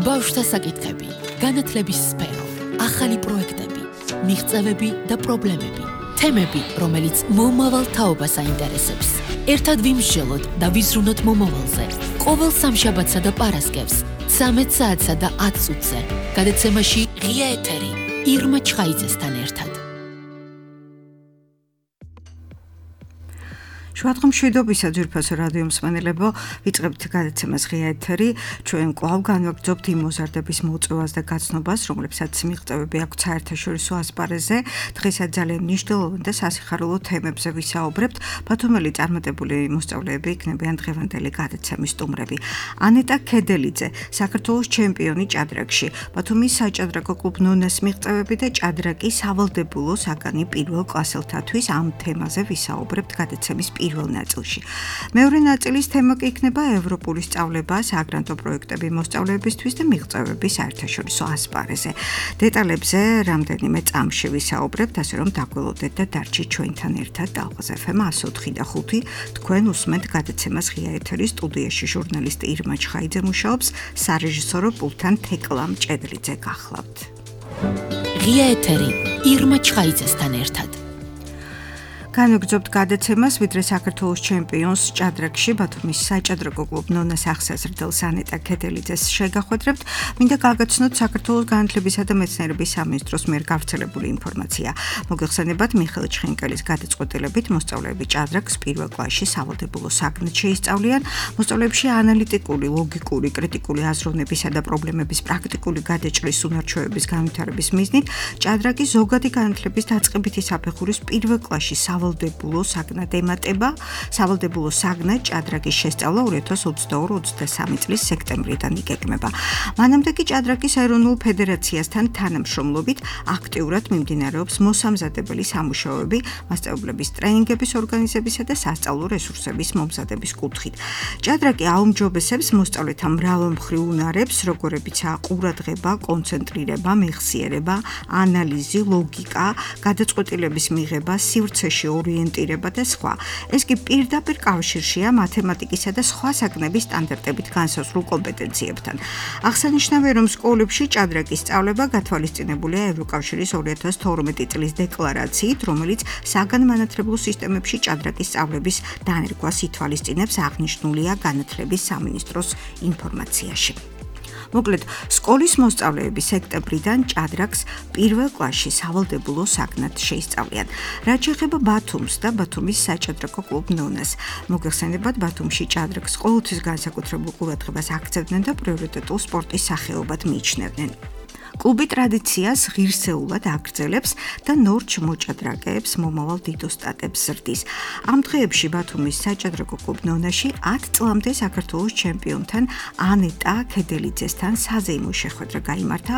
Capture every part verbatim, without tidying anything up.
ბავშვთა საკითხები, განათლების სფერო, ახალი პროექტები, მიღწევები და პრობლემები, თემები, რომელიც მომავალ თაობას აინტერესებს. ერთად ვიმსჯელოთ და ვიზრუნოთ მომავალზე. ყოველ სამშაბათსა და პარასკევს, ცამეტ საათსა და ათ წუთზე, გადაცემაში ღია ეთერი, ირმა ჩხაიძესთან ერთად. შუადღე მშვიდობისა ძვირფასო რადიო მსმენელებო, ვიწყებთ გადაცემას ღია ეთერი. ჩვენ კვლავ განვაგრძობთ იმ მოზარდების მოწვევას და გაცნობას, რომლებსაც მიღწევები აქვთ საერთაშორისო ასპარეზზე. დღესაც ძალიან მნიშვნელოვან და სასიხარულო თემებზე ვისაუბრებთ. ბათუმელი წარმატებული მოსწავლეები იქნებიან დღევანდელი გადაცემის სტუმრები. ანეტა ქედელიძე, საქართველოს ჩემპიონი ჭადრაკში, ბათუმის საჭადრაკო კლუბ ნონას მიღწევები და ჭადრაკი სავალდებულო საგანი პირველ კლასელთათვის. ამ თემაზე ვისაუბრებთ გადაცემის პირველ ნაწილში. მეორე ნაწილის თემა კი იქნება ევროპული სწავლება, საგრანტო პროექტები მოსწავლეებისთვის და მიღწევები საერთაშორისო ასპარეზზე. დეტალებზე რამდენიმე წამში ვისაუბრებთ, ასე რომ დაგველოდეთ და დარჩით ჩვენთან ერთად. ტალღაზ ეფ ემ εκατო ოთხი და ხუთი. თქვენ უსმენთ გადაცემას ღია ეთერის სტუდიაში ჟურნალისტი ირმა ჩხაიძე მუშაობს, სარეჟისორო პულტთან თეკლა მჭედლიძე გახლავთ. ღია ეთერი, ირმა ჩხაიძესთან ერთად. განვაგრძობთ გადაცემას, ვიდრე საქართველოს ჩემპიონს ჭადრაკში, ბათუმის საჭადრაკო კლუბ ნონას აღსაზრდელს ანეტა ქედელიძეს შეგახვედრებთ. მინდა გაგაცნოთ საქართველოს განათლებისა და მეცნიერების სამინისტროს მიერ გავრცელებული ინფორმაცია. მოგეხსენებათ, მიხეილ ჩხენკელის გადაწყვეტილებით მოსწავლეები ჭადრაკს პირველ კლასში სავალდებულო საგნად შეისწავლიან. მოსწავლეებში ანალიტიკური, ლოგიკური, კრიტიკული აზროვნებისა და პრობლემების პრაქტიკული გადაჭრის უნარჩვევების განვითარების მიზნით, ჭადრაკი ზოგადი განათლების დაწყებითი საფეხურის პირველ კლასში სავალდებულო საგნად ემატება. სავალდებულო საგნად ჭადრაკის შესწავლა ორი ათას ოცდაორი ოცდასამი წლის სექტემბრიდან იგეგმება. მანამდე კი ჭადრაკის ეროვნულ ფედერაციასთან თანამშრომლობით აქტიურად მიმდინარეობს მოსამზადებელი სამუშაოები, მასწავლებლების ტრენინგების ორგანიზებისა და სასწავლო რესურსების მომზადების კუთხით. ჭადრაკი აუმჯობესებს მოსწავლეთა მრავალმხრივ უნარებს, როგორებიცაა ყურადღება, კონცენტრირება, მეხსიერება, ანალიზი, ლოგიკა, გადაწყვეტილების მიღება, სივრცეში ორიენტირება და სხვა. ეს კი პირდაპირ კავშირშია მათემატიკისა და სხვა საგნების სტანდარტებით განსაზღვრულ კომპეტენციებთან. აღსანიშნავია, რომ სკოლებში ჭადრაკის სწავლება გათვალისწინებულია ევროკავშირის ორი ათას თორმეტი წლის დეკლარაციით, რომელიც საგანმანათლებლო სისტემებში ჭადრაკის სწავლების დანერგვას ითვალისწინებს, აღნიშნულია განათლების სამინისტროს ინფორმაციაში. მოკლედ, სკოლის მოსწავლეები სექტემბრიდან ჭადრაკს პირველ კლასში სავალდებულო საგნად შეისწავლიან. რაც შეეხება ბათუმს და ბათუმის საჭადრაკო კლუბ ნონას. მოგეხსენებათ, ბათუმში ჭადრაკს ყოველთვის განსაკუთრებულ ყურადღებას აქცევდნენ და პრიორიტეტულ სპორტის სახეობად მიიჩნევდნენ. კლუბი ტრადიციას ღირსეულად აგრძელებს და ნორჩ მოჭადრაკეებს მომავალ დიდოსტატებს ზრდის. ამ დღეებში ბათუმის საჭადრაკო კლუბ ნონაში ათ წლამდე საქართველოს ჩემპიონთან ანეტა ქედელიძესთან საზეიმო შეხვედრა გაიმართა.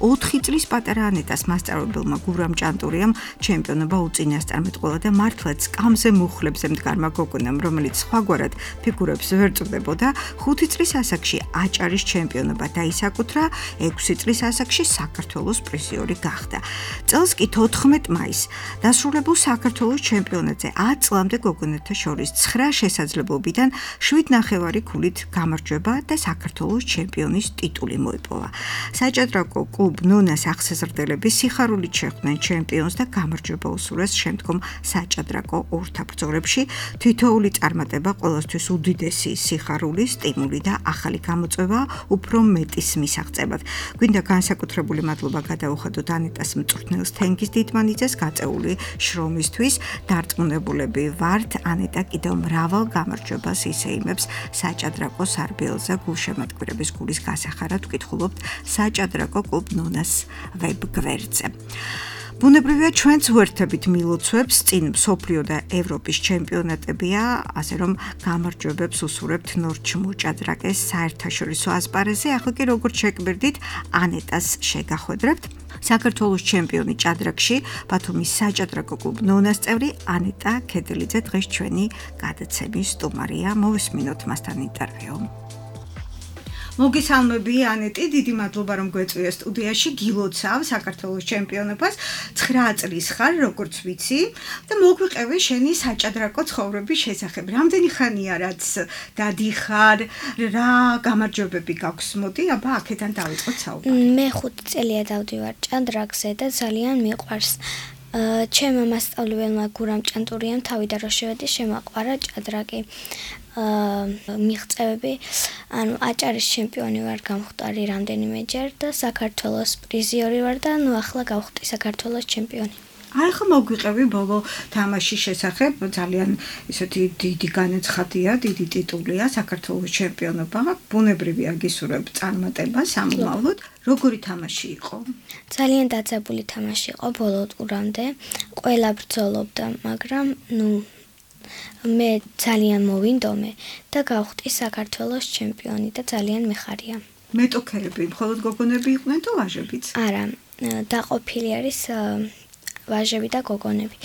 ოთხი წლის პატარა ანეტას მასწავლებელმა გურამ ჭანტურიამ ჩემპიონობა უწინასწარმეტყველა და მართლაც სკამზე მუხლებზე მდგარმა გოგონამ, რომელიც სხვაგვარად ფიგურებს ვერ წვდებოდა, ხუთი წლის ასაკში აჭარის ჩემპიონობა დაისაკუთრა, ექვსი წლის ასაკში საქართველოს პრიზიორი გახდა. წელს კი თოთხმეტ მაისს დასრულებულ საქართველოს ჩემპიონატზე ათ წლამდე გოგონათა შორის ცხრა შესაძლებლობიდან შვიდ ნახევარი ქულით გამარჯვება და საქართველოს ჩემპიონის ტიტული მოიპოვა. საჭადრაკო კლუბ ნონას აღსაზრდელები სიხარულით შეხვდნენ ჩემპიონს და გამარჯვება უსურვეს შემდგომ საჭადრაკო ორთაბრძოლებში. თითოეული წარმატება ყველასთვის უდიდესი სიხარული, სტიმული და ახალი გამოწვევა უფრო მეტის მისაღწევად. გვინდა განსაკუთრებული მადლობა გადაუხადოთ ანეტას მწვრთნელს თენგიზ დიდმანიძეს გაწეული შრომისთვის. დარწმუნებულები ვართ, ანეტა კიდევ მრავალ გამარჯვებას ისეიმებს საჭადრაკო სარბიელზე. გულშემატკივრების გულის გასახარად ვკითხულობთ საჭადრაკო კლუბ ნონას ვებ გვერდზე. ბუნებრივია, ჩვენც ვერთებით მილოცვებს წინ მსოფლიო და ევროპის ჩემპიონატებია, ასე რომ გამარჯვებებს უსურვებთ ნორჩ მოჭადრაკეს საერთაშორისო ასპარეზზე. ახლა კი როგორც შეგვირდით, ანეტას შეგახვედრებთ. საქართველოს ჩემპიონი ჭადრაკში, ბათუმის საჭადრაკო კლუბ ნონას წევრი ანეტა ქედელიძე დღეს ჩვენი გადაცემის სტუმარია. მოვისმინოთ მასთან ინტერვიუ. მოგესალმები ანეტი, დიდი მადლობა რომ გვეწვია სტუდიაში, გილოცავ საქართველოს ჩემპიონობას, ცხრა წლის ხარ, როგორც ვიცი და მოგვიყევი შენი საჭადრაკო ცხოვრების შესახებ. რამდენი ხანია რაც დადიხარ, რა გამარჯვებები გაქვს? მოდი, აბა აქედან დავიწყოთ საუბარი. მე ხუთი წელია დავდივარ ჭადრაკზე და ძალიან მიყვარს. ჩემმა მასწავლებელმა გურამ ჭანტურიამ თავიდან რო შევედი შემაყვარა ჭადრაკი. მიღწევები, ანუ აჭარის ჩემპიონი ვარ გამხდარი რამდენიმეჯერ და საქართველოს პრიზიორი ვარ და ნუ ახლა გავხდი საქართველოს ჩემპიონი. აი ხა მოგვიყევი ბოლო თამაშის შესახებ, ძალიან ისეთი დიდი განაცხადია, დიდი ტიტულია საქართველოს ჩემპიონობა. ბუნებრივია გისურვებ წარმატება სამომავლოდ. როგორი თამაში იყო? ძალიან დაძაბული თამაში იყო ბოლო ტურამდე. ყველა ბრძოლობდა, მაგრამ ნუ მე ძალიან მოვინდომე და გავხდი საქართველოს ჩემპიონი და ძალიან მეხარია. მეტოქეები მხოლოდ გოგონები იყვნენ თუ ვაჟებიც? არა, დაყოფილი არის ვაჟები და გოგონები.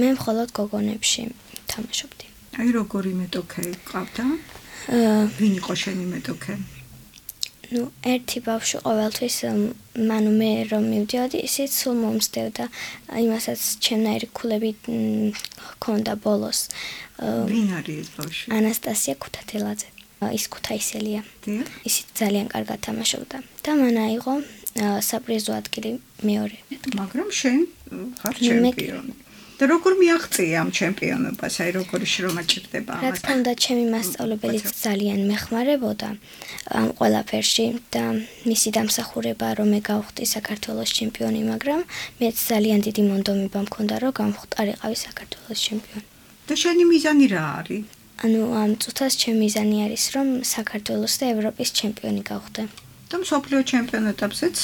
მე მხოლოდ გოგონებში თამაშობდი. აი როგორი მეტოქე ყავდა? ვინ იყო შენი მეტოქე? ნუ ერთი ბავშვი ყოველთვის მანუ მე რომ მივდიოდი, ისიც სულ მომსდევდა. იმასაც ჩემნაირი ქულები ჰქონდა ბოლოს. ვინ არის ეს ბავშვი? ანასტასია ქუთათელაძე. ის ქუთაისელია. დიახ. ისიც ძალიან კარგად თამაშობდა. და მან აიღო საპრიზო ადგილი მეორე. მაგრამ შენ ხარ ჩემპიონი. და როგორ მიაღწია ამ ჩემპიონობას? აი როგორი შრომა ჭირდება ამას? რა თქმა უნდა, ჩემი მასწავლებელი ძალიან მეხმარებოდა ამ ყველაფერში და მისი დამსახურება რომ მე გავხდი საქართველოს ჩემპიონი, მაგრამ მეც ძალიან დიდი მონდომება მქონდა რომ გამხდარიყავი საქართველოს ჩემპიონი. და შენი მიზანი რა არის? ანუ ამ წუთას ჩემი მიზანი არის რომ საქართველოს და ევროპის ჩემპიონი გავხდე. და მსოფლიო ჩემპიონატებზეც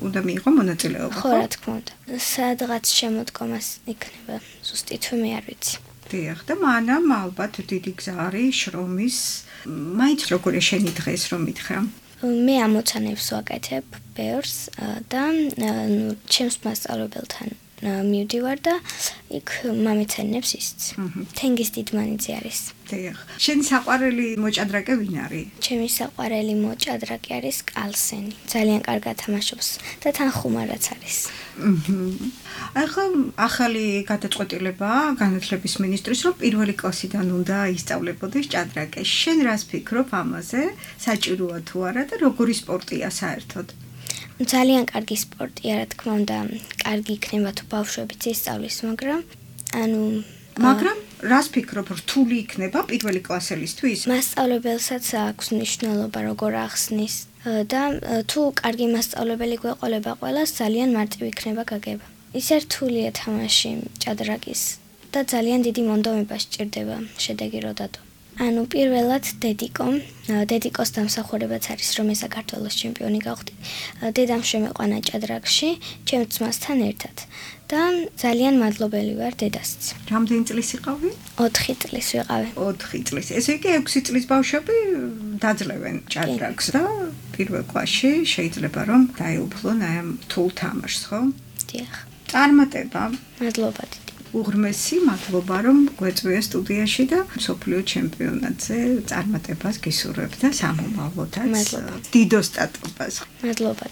უნდა მიიღო მონაწილეობა, ხო? ხო, რა თქმა უნდა. სადღაც შემოდგომას იქნება, ზუსტი თვე არ ვიცი. დიახ, და მანამ ალბათ დიდი გზა არის შრომის. მაინც როგორია შენი დღეს რომ მითხრა? მე ამოცანებს ვაკეთებ ბევრს და ნუ ჩემს მასწავლებელთან მივდივარ და იქ მამეცანებს ისიც. თენგიზ დიდმანიძე არის. დიახ. შენი საყვარელი მოჭადრაკე ვინ არის? ჩემი საყვარელი მოჭადრაკე არის კალსენი. ძალიან კარგად თამაშობს და თან ხუმარაც არის. ახლა ახალი გადაწყვეტილება განათლების მინისტრის რომ პირველი კლასიდან უნდა ისწავლებოდეს ჭადრაკე. შენ რას ფიქრობ ამაზე? საჭიროა თუ არა და როგორი სპორტია საერთოდ? ძალიან კარგი სპორტია, რა თქმა უნდა, კარგი იქნება თუ ბავშვებიც ისწავლის, მაგრამ ანუ მაგრამ რას ფიქრობ, რთული იქნება პირველი კლასელისთვის? მასწავლებელსაც აქვს მნიშვნელობა როგორ ახსნის და თუ კარგი მასწავლებელი გვეყოლება ყველას, ძალიან მარტივი იქნება გაგება. ისე რთულია თამაში ჭადრაკის და ძალიან დიდი მონდომება სჭირდება შედეგი რო დადო. ანუ პირველად დედიკომ, დედიკოს დამსახურებაც არის რომ მე საქართველოს ჩემპიონი გავხდი. დედამ შემეყვანა ჭადრაკში, ჩემ ძმასთან ერთად და ძალიან მადლობელი ვარ დედასც. რამდენი წლის იყავი? ოთხი წლის ვიყავი. ოთხი წლის. ესე იგი ექვსი წლის ბავშვები დაძლევენ ჭადრაკს და პირველ კლასში შეიძლება რომ დაეუფლონ აი ამ რთულ თამაშს, ხო? დიახ. წარმატება. მადლობა. უღრმესი მადლობა რომ გვეწვია სტუდიაში და მსოფლიო ჩემპიონატზე წარმატებას გისურვებ და სამომავლოდაც დიდ სტატობას. მადლობა.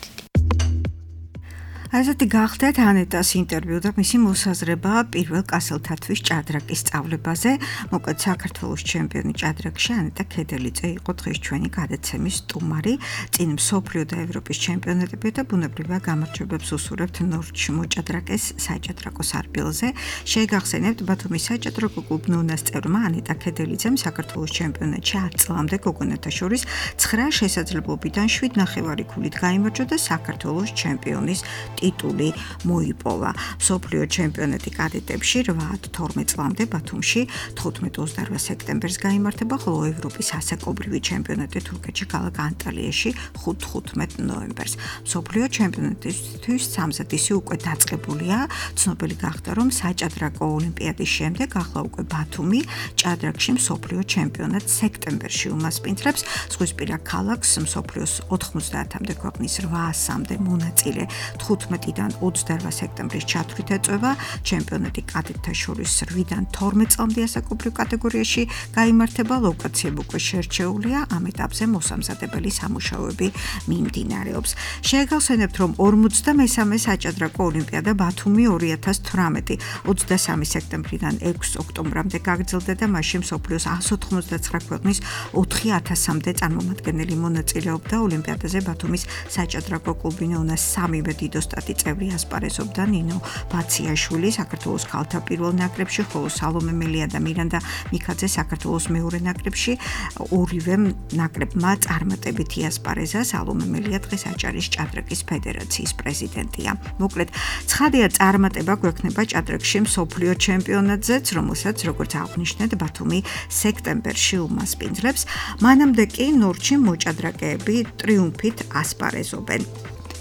ასეთი გახდათ ანეტას ინტერვიუ და მისი მოსაზრება პირველ კასელთათვის ჭადრაკის სწავლებაზე. მოკლედ საქართველოს ჩემპიონი ჭადრაკში ანეტა ქედელიძე იყო დღეს ჩვენი გადაცემის სტუმარი. წინ მსოფლიო და ევროპის ჩემპიონატები და ბუნებრივია გამარჯვებებს უსურვებთ ნორჩ მოჭადრაკეს საჭადრაკო სარბილზე. შეგახსენებთ ბათუმის საჭადრაკო კლუბ ნონას წევრმა ანეტა ქედელიძემ საქართველოს ჩემპიონატში ათ წლამდე გოგონათა შორის ცხრა შესაძლებლობიდან შვიდ ნახევარი ქულით გაიმარჯვა და საქართველოს ჩემპიონის ტიტული მოიპოვა. მსოფლიო ჩემპიონატი კადეტებში რვა თორმეტ წლამდე ბათუმში თხუთმეტ ოცდაოთხ სექტემბერს გაიმართება, ხოლო ევროპის ასაკობრივი ჩემპიონატი თურქეთში ქალაქ ანტალიაში ხუთ თხუთმეტ ნოემბერს. მსოფლიო ჩემპიონატისთვის სამზადისი უკვე დაწყებულია. ცნობილი გახდა, რომ საჭადრაკო ოლიმპიადის შემდეგ ახლა უკვე ბათუმი ჭადრაკში მსოფლიო ჩემპიონატს სექტემბერში უმასპინძლებს. ზღვისპირა ქალაქს მსოფლიოს ოთხმოცდაათამდე ქვეყნის რვაასამდე მონაწილე თხუთმეტ თერთმეტიდან ოცდაორ სექტემბრის ჩათვლით ეწევა ჩემპიონატი კადეტთა შორის რვიდან თორმეტ წლამდე ასაკობრივ კატეგორიაში გაიმართება, ლოკაციები უკვე შერჩეულია, ამ ეტაპზე მოსამზადებელი სამუშაოები მიმდინარეობს. Შეგახსენებთ, რომ ორმოცდამესამე საჭადრაკო ოლიმპიადა ბათუმი ორი ათას თვრამეტი ოცდასამი სექტემბრიდან ექვსი ოქტომბრამდე გაგრძელდა და მასში მსოფლიოს εκατს ოთხმოცდაცხრა ქვეყნის ოთხი ათასამდე წარმომადგენელი მონაწილეობდა. ოლიმპიადაზე ბათუმის საჭადრაკო კლუბი ნონას სამივე დიდოსტატი წევრი ასპარეზობდა. ნინო ბაციაშვილი საქართველოს ქალთა პირველ ნაკრებში, ხოლო სალომე მელია და მირანდა მიქაძე საქართველოს მეორე ნაკრებში. ორივე ნაკრებმა წარმატებით იასპარეზა. სალომე მელია დღეს აჭარის ჭადრაკის ფედერაციის პრეზიდენტია. მოკლედ, ცხადია წარმატება გვექნება ჭადრაკში მსოფლიო ჩემპიონატზეც, რომელსაც როგორც აღნიშნეთ, ბათუმი სექტემბერში უმასპინძლებს. მანამდე კი ნორჩი მოჭადრაკეები ტრიუმფით ასპარეზობენ.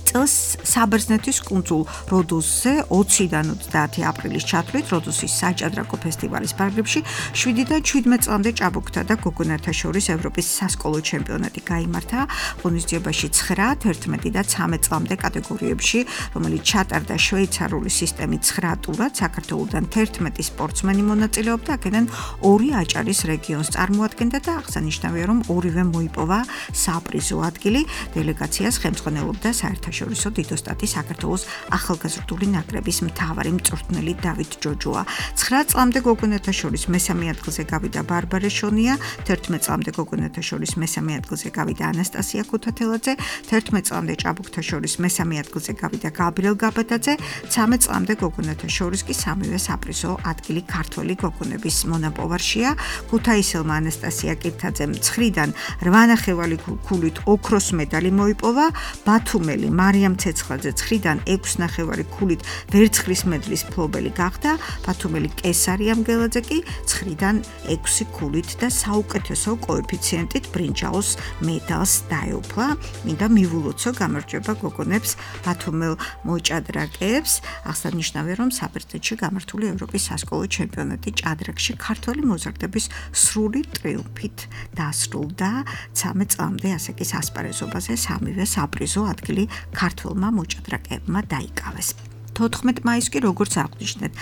წელს საბერძნეთის კუნძულ როდოსზე ოციდან ოცდაათი აპრილის ჩათვლით როდოსის საჭადრაკო ფესტივალის პარაგებში შვიდიდან შვიდმეტ წლამდე ჭაბუკთა და გოგონათა შორის ევროპის სასკოლო ჩემპიონატი გაიმართა. ღონისძიებაში ცხრა, თერთმეტი და ცამეტ წლამდე კატეგორიებში, რომელიც ჩატარდა შვეიცარიული სისტემით ცხრა ტურად, საქართველოდან თერთმეტი სპორტსმენი მონაწილეობდა, აქედან ორი აჭარის რეგიონს წარმოადგენდა და აღსანიშნავია, რომ ორივე მოიპოვა საპრიზო ადგილი. დელეგაციას ხელმძღვანელობდა საერთაშორისო შორისო დიდოსტატი საქართველოს ახალგაზრდული ნაკრების მთავარი მწვრთნელი დავით ჯოჯოა. ცხრა წლამდე გოგონათა შორის მესამე ადგილზე გავიდა ბარბარე შონია, თერთმეტ წლამდე გოგონათა შორის მესამე ადგილზე გავიდა ანასტასია ქუთათელაძე, თერთმეტ წლამდე ჭაბუკთა შორის მესამე ადგილზე გავიდა გაბრიელ გაბადაძე, ცამეტ წლამდე გოგონათა შორის კი სამივე საპრიზო ადგილი ქართველი გოგონების მონაპოვარშია. ქუთაისელმა ანასტასია კირთაძემ ცხრიდან რვა ნახევარი ქულით ოქროს მედალი მოიპოვა, ბათუმელი მარიამ ცეცხლაძე ცხრიდან ექვსი ნახევარი ქულით ვერცხლის მედლის მფლობელი გახდა, ბათუმელი კესარი ამგელაძე კი ცხრიდან ექვსი ქულით და საუკეთესო კოეფიციენტით ბრინჯაოს მედალს დაეუფლა. მინდა მივულოცო გამარჯვება გოგონებს ბათუმელ მოჭადრაკეებს. აღსანიშნავია, რომ საბერძნეთში გამართული ევროპის სასკოლო ჩემპიონატი ჭადრაკში ქართველი მოზარდების სრული ტრიუმფით დასრულდა. ცამეტ წლამდე ასაკის ასპარეზობაზე სამივე საპრიზო ადგილი ქართველმა მოჭადრაკეებმა დაიკავეს. თოთხმეტ მაისს კი როგორც აღნიშნეთ,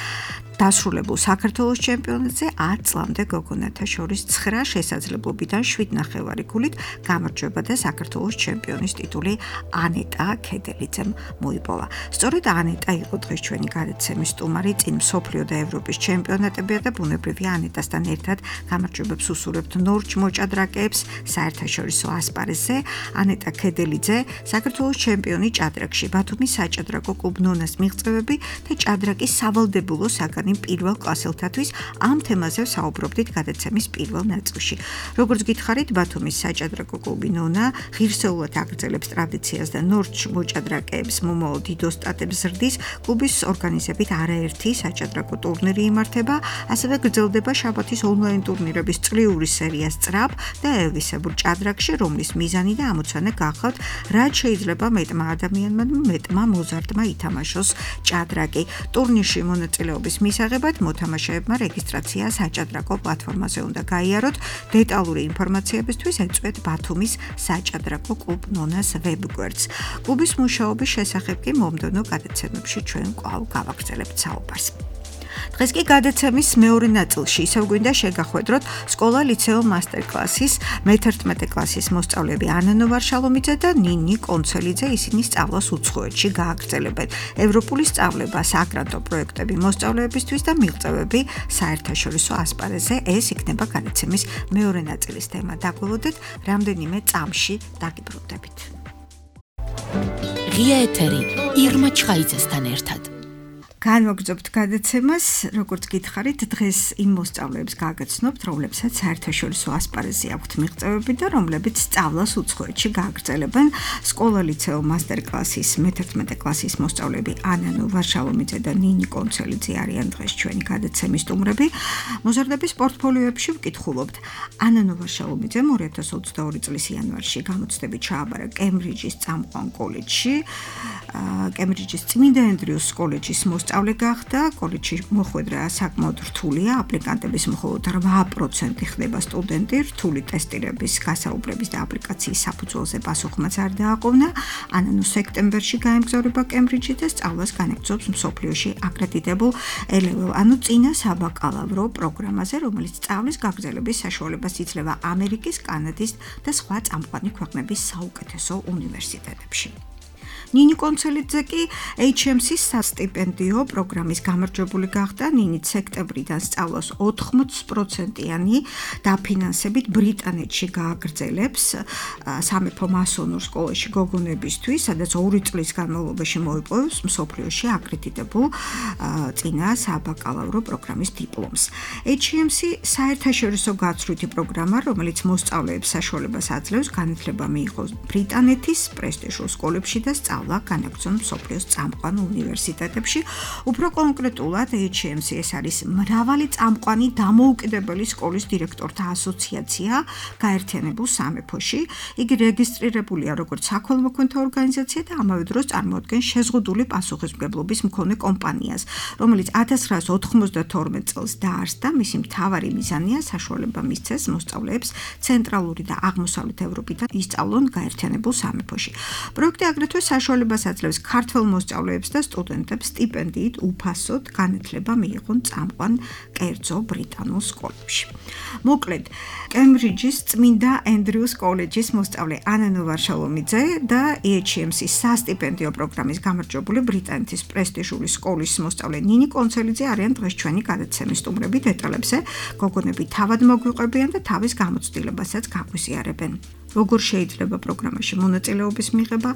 დასრულებულ საქართველოს ჩემპიონატზე ათ წლამდე გოგონათა შორის ცხრა შესაძლებლობიდან შვიდ ნახევარი ქულით გამარჯვება და საქართველოს ჩემპიონის ტიტული ანეტა ქედელიძემ მოიპოვა. სწორედ ანეტა იყო დღეს ჩვენი გადაცემის სტუმარი, წინ მსოფლიო და ევროპის ჩემპიონატებია და ბუნებრივია ანეტასთან ერთად გამარჯვებებს უსურვებთ ნორჩ მოჭადრაკეებს საერთაშორისო ასპარეზზე. ანეტა ქედელიძე, საქართველოს ჩემპიონი ჭადრაკში, ბათუმის საჭადრაკო კლუბ ნონას მიღწევები და ჭადრაკის სავალდებულო საგანი პირველ კლასელთათვის ამ თემაზე საუბრობდით გადაცემის პირველ ნაწილში. როგორც გითხარით, ბათუმის საჭადრაკო კლუბი ნონა ღირსეულად აგრძელებს ტრადიციას და ნორჩ მოჭადრაკეებს მომავალ დიდოსტატებს ზრდის. კლუბის ორგანიზებით არაერთი საჭადრაკო ტურნირი იმართება, ასევე გრძელდება შაბათის ონლაინ ტურნირების წლიური სერია სწრაფ და ელვისებურ ჭადრაკში, რომლის მიზანი და ამოცანა გახლავთ, რაც შეიძლება მეტმა ადამიანმა და მეტმა მოზარდმა ითამაშოს ჭადრაკი. ტურნირში მონაწილეობის მისაღებად მოთამაშეებმა რეგისტრაცია საჭადრაკო პლატფორმაზე უნდა გაიაროთ. დეტალური ინფორმაციებისთვის ეწვეთ ბათუმის საჭადრაკო კლუბ ნონას ვებგვერდს. კლუბის მუშაობის შესახებ კი მომდევნო გადაცემებში ჩვენ კვლავ გავაგრძელებთ საუბარს. დღეს კი გადაცემის მეორე ნაწილში ისევ გვინდა შეგახვედროთ სკოლა ლიცეო მასტერკლასის მეთერთმეტე კლასის მოსწავლეები ანანო ვარშალომიძე და ნინი კონცელიძე. ისინი სწავლას უცხოეთში გააგრძელებენ. ევროპული სწავლება, საგრანტო პროექტები მოსწავლეებისთვის და მიღწევები საერთაშორისო ასპარეზზე. ეს იქნება გადაცემის მეორე ნაწილის თემა. დაგველოდეთ რამდენიმე წამში დაგიბრუნდებით. ღია ეთერი ირმა ჩხაიძესთან ერთად. განვაგრძობთ გადაცემას, როგორც გითხარით, დღეს იმ მოსწავლეებს გაგაცნობთ, რომლებსაც საერთაშორისო ასპარეზზე აქვთ მიღწევები და რომლებიც სწავლას უცხოეთში გააგრძელებენ. სკოლა ლიცეო მასტერკლასის მეთერთმეტე კლასის მოსწავლეები ანანო ვარშალომიძე და ნინი კონცელიძე არიან დღეს ჩვენი გადაცემის სტუმრები. მოზარდების პორტფოლიოებში ვკითხულობთ. ანანო ვარშალომიძემ ორი ათას ოცდაორი წლის იანვარში გამოცდები ჩააბარა კემბრიჯის წამყვან კოლეჯში. კემბრიჯის წმინდა ენდრიუს კოლეჯის მოსწავლე გახდა, კოლეჯში მოხვედრა საკმაოდ რთულია, აპლიკანტების მხოლოდ რვა პროცენტი ხდება სტუდენტი, რთული ტესტირების, გასაუბრების და აპლიკაციის საფუძველზე პასუხმაც არ დააყოვნა. ანანუ სექტემბერში გაემგზავრება კემბრიჯში და სწავლას განაგრძობს მსოფლიოში აკრედიტებულ ე ლეველ, ანუ წინა საბაკალავრო პროგრამაზე, რომელიც სწავლის გაგრძელების საშუალებას იძლევა ამერიკის, კანადის და სხვა წამყვანი ქვეყნების საუკეთესო უნივერსიტეტებში. ნინი კონცელიძე კი ეიჩ ემ სი-ის სასტიპენდიო პროგრამის გამარჯვებული გახდა. ნინი სექტემბრიდან სწავლას ოთხმოც პროცენტიანი დაფინანსებით ბრიტანეთში გააგრძელებს სამეფო მასონურ სკოლაში გოგონებისთვის, სადაც ორი წლის განმავლობაში მოიპოვებს მსოფლიოში აკრედიტებულ წინა საბაკალავრო პროგრამის დიპლომს. ეიჩ ემ სი საერთაშორისო გაცვლითი პროგრამა, რომელიც მოსწავლეებს საშუალებას აძლევს განათლება მიიღოს ბრიტანეთის პრესტიჟულ სკოლებში და სწავლა განაგრძონ მსოფლიოს წამყვან უნივერსიტეტებში. უფრო კონკრეტულად ეიჩ ემ სი ეს არის მრავალი წამყვანი დამოუკიდებელი სკოლის დირექტორთა ასოციაცია გაერთიანებულ სამეფოში. იგი რეგისტრირებულია როგორც საქველმოქმედო ორგანიზაცია და ამავე დროს წარმოადგენს შეზღუდული პასუხისმგებლობის მქონე კომპანიას, რომელიც ათას ცხრაას ოთხმოცდათორმეტ წელს დაარსდა. მისი მთავარი მიზანია საშუალება მისცეს მოსწავლეებს ცენტრალური და აღმოსავლეთ ევროპიდან ისწავლონ გაერთიანებულ სამეფოში. პროექტი აგრეთვე საშუალებას აძლევს ქართველ მოსწავლეებს და სტუდენტებს სტიპენდიით უფასოდ განათლება მიიღონ წამყვან კერძო ბრიტანულ სკოლებში. მოკლედ, კემბრიჯის წმინდა ენდრიუს კოლეჯის მოსწავლე ანანუ ვარშალომიძე და ეიჩ ემ სი-ის სასტიპენდიო პროგრამის გამარჯვებული ბრიტანეთის პრესტიჟული სკოლის მოსწავლე ნინი კონცელიძე არიან დღეს ჩვენი გადაცემის სტუმრები. დეტალებზე გოგონები თავად მოგვიყვებიან და თავის გამოცდილებასაც გაგვიზიარებენ. როგორ შეიძლება პროგრამაში მონაწილეობის მიღება,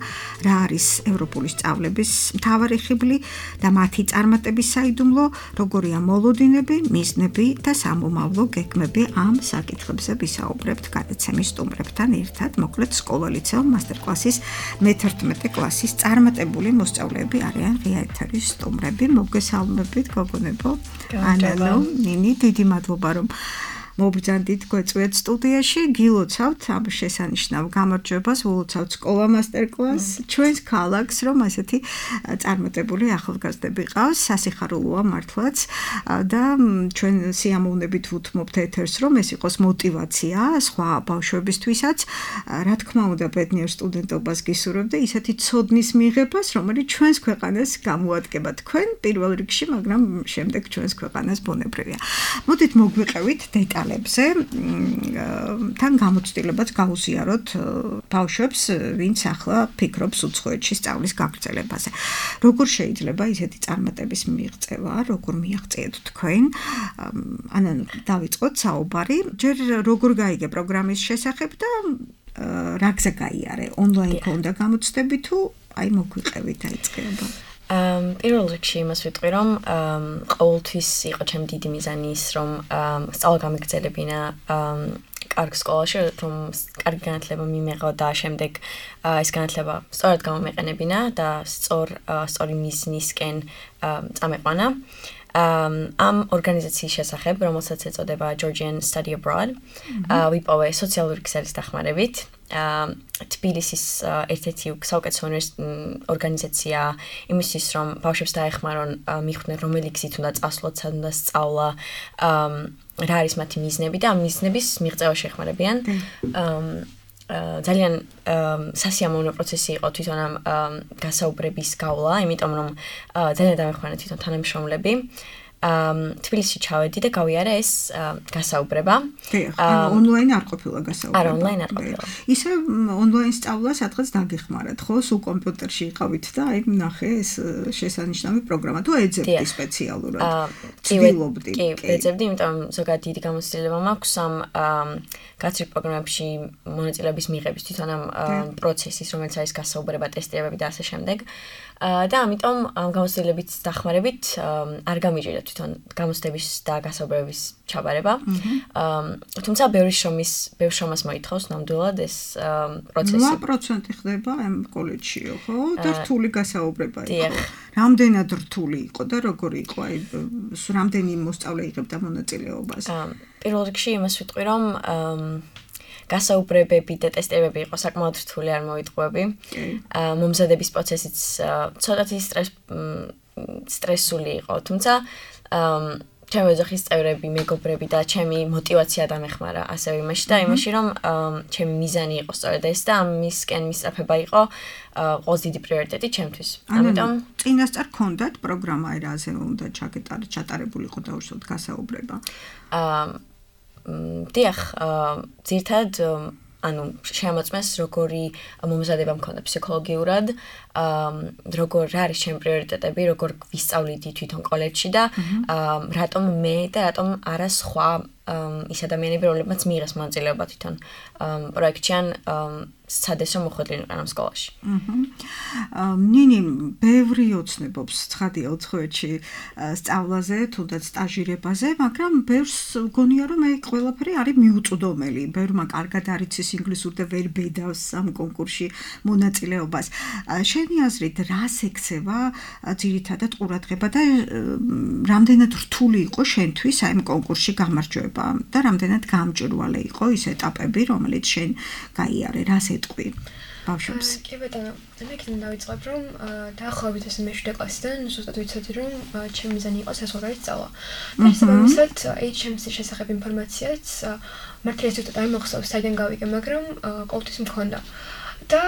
რა არის ევროპული სწავლების მთავარი ხიბლი და მათი წარმატების საიდუმლო, როგორია მოლოდინები, მიზნები და სამომავლო გეგმები, ამ საკითხებზე ვისაუბრებთ გადაცემის სტუმრებთან ერთად. მოკლედ, სკოლა-ლიცეუმ მასტერკლასის მეთერთმეტე კლასის წარმატებული მოსწავლეები არიან ღია ეთერის სტუმრები. მოგესალმებით, გოგონებო. ანანუ, ნინი, დიდი მადლობა რომ მობრძანდით გვეწვიეთ სტუდიაში. გილოცავთ ამ შესანიშნავ გამარჯვებას, ულოცავთ სკოლა მასტერკლას ჩვენს ქალაქს, რომ ასეთი წარმატებული ახალგაზრდები ყავს. სასიხარულოა მართლაც და ჩვენ სიამოვნებით ვუთმობთ ეთერს, რომ ეს იყოს მოტივაცია სხვა ბავშვებისთვისაც. რა თქმა უნდა, ბედნიერ სტუდენტობას გისურვებ და ისეთი ცოდნის მიღებას, რომელიც ჩვენს ქვეყანას გამოადგება თქვენ პირველ რიგში, მაგრამ შემდეგ ჩვენს ქვეყანას ბუნებრივია. მოდით მოგვიყევით დეტალებზე. თან გამოცდილებაც გაუზიაროთ ბავშვებს, ვინც ახლა ფიქრობს უცხოეთში სწავლის გაგრძელებაზე. როგორ შეიძლება ისეთი წარმატების მიღწევა, როგორ მიაღწიეთ თქვენ? ანანუ, დავიწყოთ საუბარი. ჯერ როგორ გაიგე პროგრამის შესახებ და რა გზა გაიარე? ონლაინ ქონდა გამოცდები თუ აი მოგვიყევით დაიწყება? Um, პირველ რიგში იმას ვიტყვი, რომ um, ყოველთვის იყო ჩემი დიდი მიზანი ის, რომ um, სწავლა გამიგრძელებინა um, კარგ სკოლაში, რომ კარგი განათლება მიმეღო და შემდეგ uh, ეს განათლება სწორად გამომეყენებინა და სწორ uh, სწორი მიზნისკენ uh, წამეყვანა. Um, ამ ორგანიზაციის შესახებ, რომელსაც ეწოდება Georgian Study Abroad, mm-hmm. uh, ვიპოვე სოციალური ქსელის დახმარებით. თბილისის ერთ-ერთი საუკეთესო ორგანიზაცია იმისთვის, რომ ბავშვებს დაეხმარონ მიხვდნენ, რომელი გზით უნდა წასვლოთ, სად უნდა სწავლა, რა არის მათი მიზნები და ამ მიზნების მიღწევა შეეხმარებიან. ძალიან სასიამოვნო პროცესი იყო თვითონ ამ გასაუბრების გავლა, იმიტომ რომ ძალიან დამეხმარა თვითონ თანამშრომლები. Um, თბილისში ჩავედი და გავიარე ეს uh, გასაუბრება. ანუ ონლაინ არ ყოფილა გასაუბრება. არა, ონლაინ არ ყოფილა. ისე ონლაინ სწავლა სადღაც დაგეხმარათ, ხო? სულ კომპიუტერში იყავით და აი ნახე ეს შესანიშნავი პროგრამა. თუ ეძებდი სპეციალურად? ცდილობდი. კი, ეძებდი, იმიტომ ზოგადად დიდი გამოცდილება მაქვს ამ გაცრით პროგრამებში მონაწილეობის მიღების თვითონ ამ პროცესის, რომელიც არის გასაუბრება, ტესტირებები და ასე შემდეგ. და ამიტომ გამოცდილებით დახმარებით არ გამიჭირდა თვითონ გამოცდების და გასაუბრების ჩაბარება. თუმცა ბევრი შრომის, ბევრი შრომას მოითხოვს ნამდვილად ეს პროცესი. რვა პროცენტი ხდება ამ კოლეჯშიო, ხო? და რთული გასაუბრება იყო. რამდენად რთული იყო და როგორი იყო? აი, რამდენი მოსწავლე იღებდა მონაწილეობას? პირველ რიგში იმას ვიტყვი, რომ გასაუბრებები და ტესტებები იყო საკმაოდ რთული, არ მოვიტყუები. მომზადების პროცესიც ცოტათი სტრეს სტრესული იყო, თუმცა ჩემი ოჯახის წევრები, მეგობრები და ჩემი мотиваცია დამეხმარა ასევე იმაში და იმაში რომ ჩემი მიზანი იყო სწორედ ეს და ამისკენ მისწრაფება იყო ყველაზე დიდი პრიორიტეტი ჩემთვის. ამიტომ წინასწარ გქონდათ პროგრამა ერაზე უნდა ჩატარებულიყო დაუშვათ გასაუბრება. აა დიახ, ძირთად ანუ შემოწმეს როგორი მომზადება მქონდა ფსიქოლოგიურად, როგორ არის ჩემი პრიორიტეტები, როგორ ვისწავლიდი თვითონ კოლეჯში და რატომ მე და რატომ არა სხვა ის ადამიანები, რომლებმაც მიიღეს მონაწილეობა თვითონ პროექტში ან სცადეს რომ მოხვედრილიყო ამ სკოლაში. ნინი ბევრი ოცნებობს ცხადია ოთხ-ში სწავლაზე, თუნდაც სტაჟირებაზე, მაგრამ ბევრს გონია რომ მე ყველაფერი არის მიუწვდომელი. ბევრმა კარგად არიცის ინგლისური და ვერ ბედავს ამ კონკურსში მონაწილეობას. შენი აზრით, რას ექცევა ძირითადად ყურადღება და რამდენად რთული იყო შენთვის აი ამ კონკურსში გამარჯვება და რამდენად გამჭვირვალე იყო ის ეტაპები, რომელიც შენ გაიარე, რას ეტყვი ბავშვებს? კი ბატონო, მე კიდევ დავიწყებ რომ დაახლოებით ეს მეშვიდე კლასიდან ზუსტად ვიცოდი რომ ჩემი მიზანი იყო საზღვარგარეთ სწავლა. და შესაბამისად ეიჩ ემ სი-ის შესახებ ინფორმაციაც მართლაც ზუსტად არ მახსოვს საიდან გავიგე, მაგრამ ყოველთვის მქონდა. და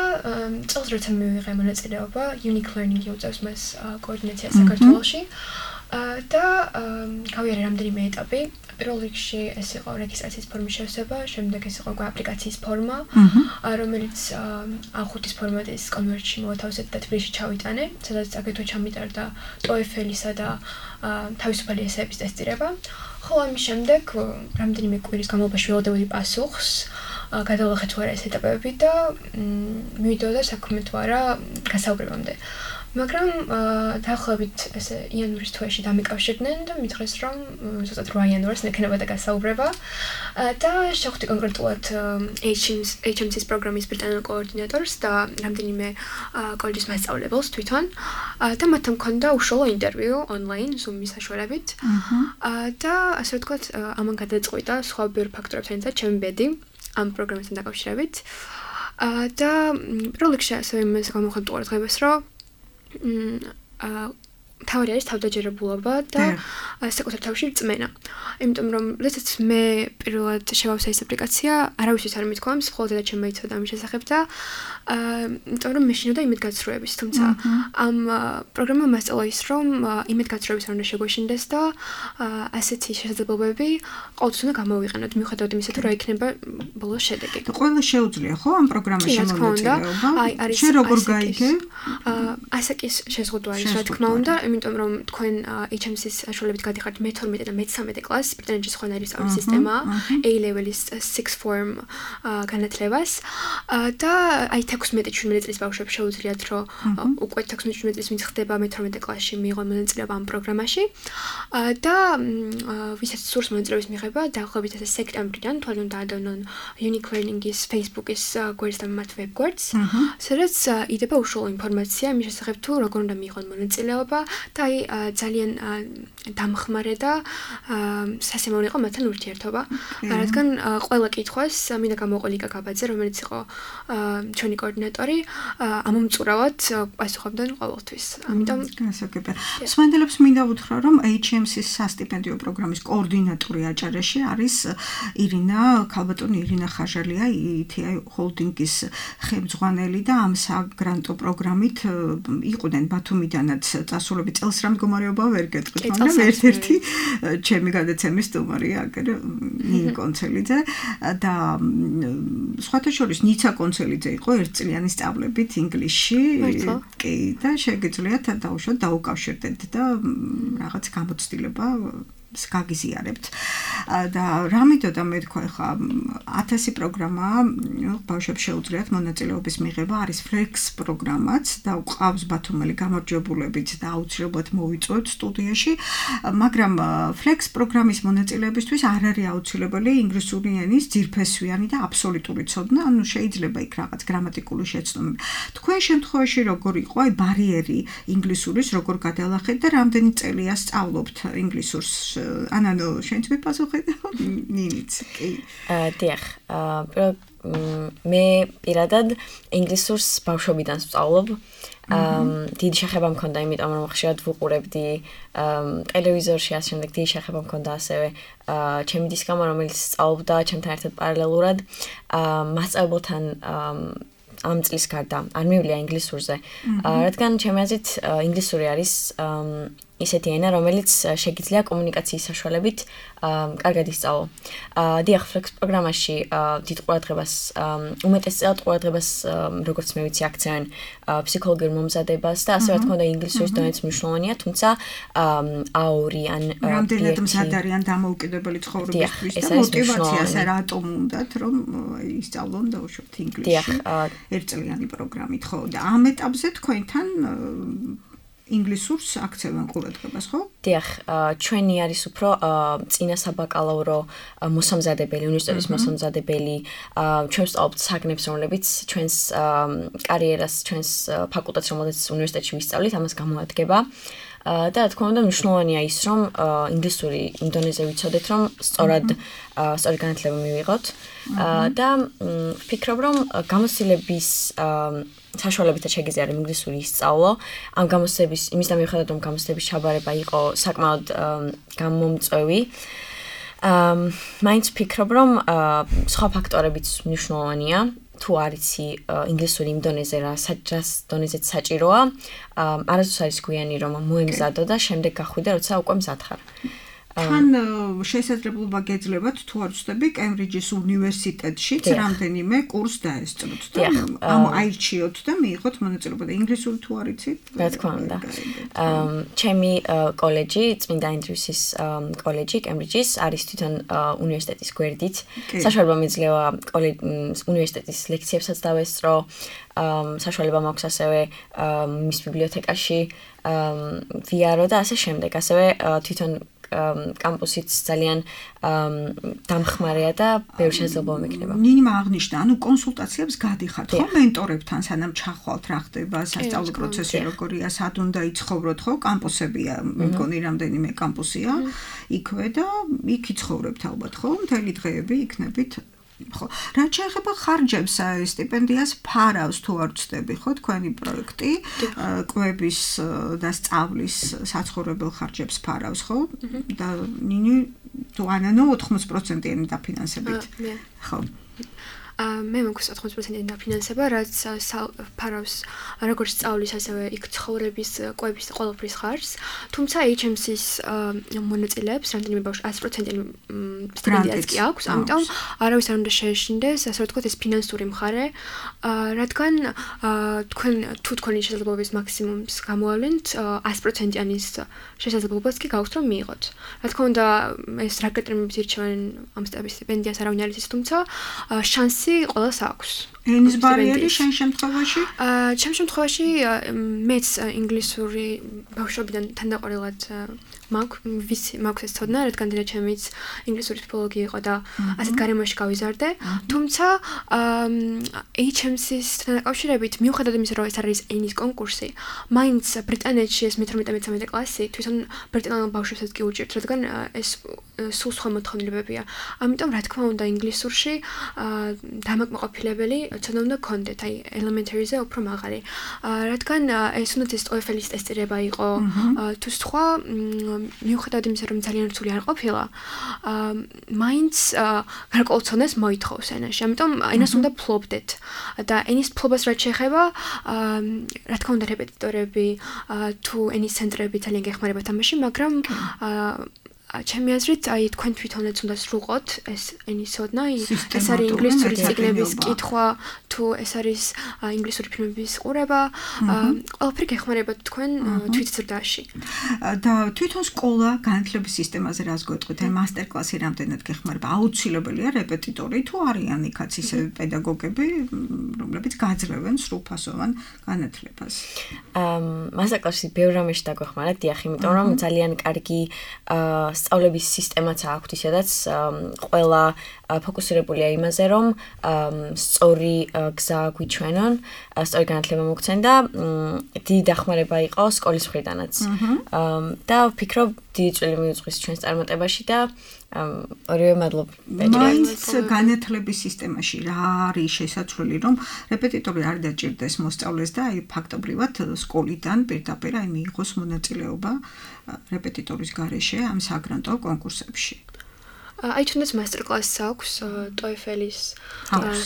წელს როცა მივიღე მონაწილეობა, Unique Learning უწევს მას კოორდინაცია საქართველოში. და გავიარე რამდენიმე ეტაპი. პირველ რიგში ეს იყო რეგისტრაციის ფორმის შევსება, შემდეგ ეს იყო აპლიკაციის ფორმა, რომელიც ა ხუთის ფორმატის კონვერტში მოათავსეთ და თბილისში ჩავიტანე, სადაც აგრეთვე ჩამიტარდა TOEFL-ისა და თავისუფალი ესეების ტესტირება. ხოლო ამის შემდეგ რამდენიმე კვირის განმავლობაში ველოდებოდი პასუხს, გადავახეთ თუ არა ეს ეტაპები და მივიდოდა საქმე თუ არა გასაუბრებამდე. მაგრამ დაახლოებით ესე იანვრის თვეში დამიკავშირდნენ და მითხრეს რომ ზუსტად რვა იანვარს მექნებოდა გასაუბრება და შევხვდი კონკრეტულად ეიჩ ემ სი-ის პროგრამის ბრიტანელ კოორდინატორს და რამდენიმე კოლეჯის მასწავლებელს თვითონ და მათთან მქონდა უშუალო ინტერვიუ ონლაინ Zoom-ის საშუალებით და ასე ვთქვათ ამან გადაწყვიტა სხვა ბევრ ფაქტორებთან ერთად ჩემი ბედი ამ პროგრამასთან დაკავშირებით და პირველ რიგში ასევე იმას გამოვხატ ყურადღებას რომ თავი არის თავდაჯერებულობა და საკუთარ თავში რწმენა. იმიტომ რომ როდესაც მე პირველად შევავსე ეს აპლიკაცია, არავისთვის არ მithქვამს, მხოლოდ და ჩემმა იცოდა ამის შესახებ და იმიტომ რომ მე შინოდა იმედგაცრუების, თუმცა ამ პროგრამამ მასწავლა ის რომ იმედგაცრუების არ უნდა შეგვეშინდეს და ასეთი შესაძლებლობები ყოველთვის უნდა გამოვიყენოთ, მიუხედავად იმისა, თუ რა იქნება ბოლოს შედეგი. ყველა შეუძლია ხო ამ პროგრამაში მონაწილეობა? შენ როგორ გაიგე? ასაკის შეზღუდვა არის, რა თქმა უნდა, იმიტომ რომ თქვენ ეიჩ ემ სი-ის საშუალებით გადიხართ მეთორმეტე და მეთსამეტე კლასს, ბრიტანეთში სხვანაირი სწავლის სისტემაა, A-level-ის sixth form განათლებას და აი თექვსმეტე შვიდმეტე წლის ბავშვებს შეუძლიათ რომ უკვე თექვსმეტე შვიდმეტე წლის ვინც ხდება მეთორმეტე კლასში მიიღონ მონაწილეობა ამ პროგრამაში და ვისაც სურს მონაწილეობის მიღება, დაახლოებით ესე სექტემბრიდან თვალონ დაადევნონ Unique Learning-ის Facebook-ის გვერდს და მათ ვებ-გვერდს, სადაც იდება უშუალო ინფორმაცია იმის შესახებ თუ როგორ უნდა მიიღონ მონაწილეობა და აი ძალიან დამხმარე და სასიამოვნო იყო მათთან ურთიერთობა. რადგან ყველა კითხვას მინდა გამოვყო ლიკა გაბაძე, რომელიც იყო ჩვენი კოორდინატორი, ამომწურავად პასუხობდა ყოველთვის. ამიტომ გასაგებია. სვენდელებს მინდა უთხრა, რომ ეიჩ ემ სი-ის სასტიპენდიო პროგრამის კოორდინატორი აჭარაში არის ირინა, ქალბატონი ირინა ხაჟალია, ი თი აი ჰოლდინგის ხელმძღვანელი და ამ საგრანტო პროგრამით იყვნენ ბათუმიდანაც წასულები წელს რა მდგომარეობა ვერ გეტყვით, მაგრამ ერთ-ერთი ჩემი გადაცემის სტუმარია აგერ ნინი კონცელიძე და სხვათა შორის ნიცა კონცელიძე იყო ერთწლიანი სწავლებით ინგლისში, კი და შეგიძლიათ დაუშვათ დაუკავშირდეთ და რაღაც გამოცდილება გაგიზიარებთ და რა მითოდა მე თქვა ხა ათასი პროგრამა ბავშვებს შეუძლიათ მონაწილეობის მიღება არის Flex პროგრამაც და ყავს ბათუმელი გამარჯვებულებით და აუცილებლად მოვიწვევთ სტუდიაში მაგრამ Flex პროგრამის მონაწილეებისთვის არ არის აუცილებელი ინგლისური ენის ძირფესვიანი და აბსოლუტური ცოდნა ანუ შეიძლება იქ რაღაც გრამატიკული შეცდომები თქვენ შემთხვევაში როგორ იყო აი ბარიერი ინგლისურის როგორ გადალახეთ და რამდენი წელია სწავლობთ ინგლისურს ანანო შენც მიპასუხე და ნინიც კი აა დიახ აა მე პირადად ინგლისურს ბავშვობიდან ვსწავლობ. აა დიდი შეხება მქონდა, იმიტომ რომ ხშირად ვუყურებდი ტელევიზორში, ასე შემდეგ დიდი შეხება მქონდა ასევე აა ჩემი დისკამა, რომელიც სწავლობდა ჩემთან ერთად პარალელურად. აა მასწავლებელთან ამ წლის გარდა არ მივიდა ინგლისურზე. რადგან ჩემი აზრით ინგლისური არის ისეთი ენა, რომელიც შეგიძლია კომუნიკაციის საშუალებით კარგად ისწავლო. დიახ, Flex პროგრამაში დიდ ყურადღებას, უმეტესწილად ყურადღებას, როგორც მე ვიცი, აქცევენ ფსიქოლოგიურ მომზადებას და ასე რა თქმა უნდა ინგლისურის დონეც მნიშვნელოვანია, თუმცა A two ან რამდენად მზად არიან დამოუკიდებელი ცხოვრებისთვის და მოტივაციას რატომ უნდათ, რომ ისწავლონ დაუშვათ ინგლისში ერთწლიანი პროგრამით, ხო? და ამ ეტაპზე თქვენთან ინგლისურს აქცევენ ყურადღებას, ხო? დიახ, ჩვენი არის უფრო წინა საბაკალავრო მოსამზადებელი, უნივერსიტეტის მოსამზადებელი, ჩვენ ვსწავლობთ საგნებს, რომლებიც ჩვენს კარიერას, ჩვენს ფაკულტეტს, რომელზეც უნივერსიტეტში ვისწავლით, ამას გამოადგება. და რა თქმა უნდა მნიშვნელოვანია ის, რომ ინგლისური იმ დონეზე ვიცოდეთ, რომ სწორად სწორი განათლება მივიღოთ და ვფიქრობ, რომ გამოცდილების საშუალებითაც შეგიძლია რომ ინგლისური ისწავლო. ამ გამოცდების იმის და მიუხედავად რომ გამოცდების ჩაბარება იყო საკმაოდ გამომწვევი. აა მაინც ვფიქრობ, რომ სხვა ფაქტორებიც მნიშვნელოვანია. თუ არიცი ინგლისური იმ დონეზე რა საჭას დონეზეც საჭიროა, არასდროს არის გვიანი რომ მოემზადო და შემდეგ გახვიდე, როცა უკვე მზად ხარ. თან შესაძლებლობა გეძლებათ თუ არ ვცდები კემბრიჯის უნივერსიტეტშიც რამდენიმე კურს დაესწროთ და ამ აირჩიოთ და მიიღოთ მონაწილეობა და ინგლისური თუ არ იცით? რა თქმა უნდა. ჩემი კოლეჯი, წმინდა ენდრიუსის კოლეჯი კემბრიჯის არის თვითონ უნივერსიტეტის გვერდით. საშუალება მეძლევა უნივერსიტეტის ლექციებსაც დავესწრო. საშუალება მაქვს ასევე მის ბიბლიოთეკაში ვიარო და ასე შემდეგ. ასევე თვითონ კამპუსიც ძალიან დამხმარეა და ბევრი შესაძლებლობა მექნება. ნინიმ აღნიშნა, ანუ კონსულტაციებს გადიხართ, ხო, მენტორებთან, სანამ ჩახვალთ, რა ხდება, სასწავლო პროცესი როგორია, სად უნდა იცხოვროთ, ხო, კამპუსებია, მგონი რამდენიმე კამპუსია, იქვე და იქ იცხოვრებთ ალბათ, ხო, მთელი დღეები იქნებით. ხო, რაც შეეხება ხარჯებს, სტიპენდიას ფარავს თუ არ ვცდები, ხო, თქვენი პროექტი, კვების და სწავლის საცხოვრებელ ხარჯებს ფარავს, ხო? და ნინი თუ ანანო ოთხმოცდ პროცენტიანი დაფინანსებით. ხო. მე მაქვს ოთხმოცდ პროცენტიანი დაფინანსება, რაც ფარავს როგორც სწავლის, ასევე იქ ცხოვრების, კვების და ყველაფრის ხარჯს. თუმცა H M C-ის მონაწილეებს რამდენიმე ბავშვს ათი პროცენტიანი სტიპენდიაც კი აქვს, ამიტომ არავის არ უნდა შეეშინდეს, ასე ვთქვათ, ეს ფინანსური მხარე, რადგან თქვენ თუ თქვენი შესაძლებლობის მაქსიმუმს გამოავლენთ, ათი პროცენტიანის შესაძლებლობას კი გაქვთ რომ მიიღოთ. რა თქმა უნდა, ეს რა კრიტერიუმებით ირჩევენ ამ სტიპენდიას არავინ არ იცის, თუმცა შანსი ყველას აქვს. ენის ბარიერი შენ შემთხვევაში? აა, ჩემ შემთხვევაში მეც ინგლისური ბავშვობიდან თანდაყოლილად მაქვს, ვიცი, მაქვს ეს ცოდნა, რადგან დედა ჩემიც ინგლისური ფილოლოგი იყო და ასეთ გარემოში გავიზარდე. თუმცა H M C-სთან დაკავშირებით, მიუხედავად იმისა, რომ ეს არის ენის კონკურსი, მაინც ბრიტანეთში ეს მეთორმეტე მეთორმეტე კლასი თვითონ ბრიტანულ ბავშვებსაც კი უჭირთ, რადგან ეს სულ სხვა მოთხოვნილებებია. ამიტომ რა თქმა უნდა ინგლისურში დამაკმაყოფილებელი ცოდნა უნდა გქონდეთ, აი elementary-ზე უფრო მაღალი. რადგან ეს უნდა ეს TOEFL-ის ტესტირება იყო, თუ სხვა მიუხედავად იმისა, რომ ძალიან რთული არ ყოფილა, მაინც გარკვეულ ცოდნას მოითხოვს ენაში. ამიტომ ენას უნდა ფლობდეთ. და ენის ფლობას რაც შეეხება, რა თქმა უნდა რეპეტიტორები თუ ენის ცენტრები ძალიან გეხმარებათ ამაში, მაგრამ ჩემი აზრით, აი თქვენ თვითონაც უნდა სრულყოთ ეს ენის ცოდნა, ეს არის ინგლისური წიგნების კითხვა, თუ ეს არის ინგლისური ფილმების ყურება, ყველაფერი გეხმარებათ თქვენ თვითზრდაში. და თვითონ სკოლა განათლების სისტემაზე რას გვეტყვით? აი მასტერკლასი რამდენად გეხმარება? აუცილებელია რეპეტიტორი თუ არიან იქაც ისე პედაგოგები, რომლებიც გაძლევენ სრულფასოვან განათლებას? მასტერკლასი ბევრ რამეში დაგვეხმარა, დიახ, იმიტომ რომ ძალიან კარგი სწავლების სისტემაც აქვს, ისედაც ყველა ფოკუსირებულია იმაზე, რომ სწორი გზა გვიჩვენონ, სწორი განათლება მოგცენ და დიდი დახმარება იყო სკოლის მხრიდანაც. და ვფიქრობ, დიდი წვლილი მიუძღვის ჩვენს წარმატებაში და ორივე მადლობა. მაინც განათლების სისტემაში რა არის შესაძლებელი, რომ რეპეტიტორი არ დაჭირდეს მოსწავლეს და აი ფაქტობრივად სკოლიდან პირდაპირ აი მიიღოს მონაწილეობა რეპეტიტორის გარეშე ამ საგრანტო კონკურსებში. აი თუნდაც მასტერკლასს აქვს TOEFL-ის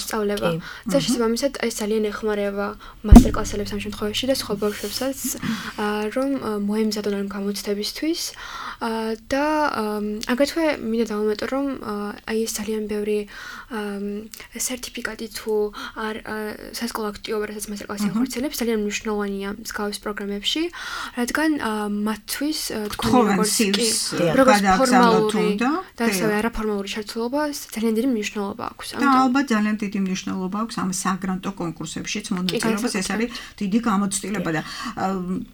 სწავლება. და შესაბამისად ეს ძალიან ეხმარება მასტერკლასელებს ამ შემთხვევაში და სხვა ბავშვებსაც რომ მოემზადონ ამ გამოცდებისთვის და აგრეთვე მინდა დავუმატო რომ აი ეს ძალიან ბევრი სერტიფიკატი თუ არ სასკოლო აქტივობა რასაც მასტერკლასი ახორციელებს ძალიან მნიშვნელოვანია მსგავს პროგრამებში, რადგან მათთვის თქვენი როგორც კი როგორც ფორმალური და ასევე არაფორმალური ჩართულობა ძალიან დიდი მნიშვნელობა აქვს. და ალბათ ძალიან დიდი მნიშვნელობა აქვს ამ საგრანტო კონკურსებშიც მონაწილეობას, ეს არის დიდი გამოცდილება და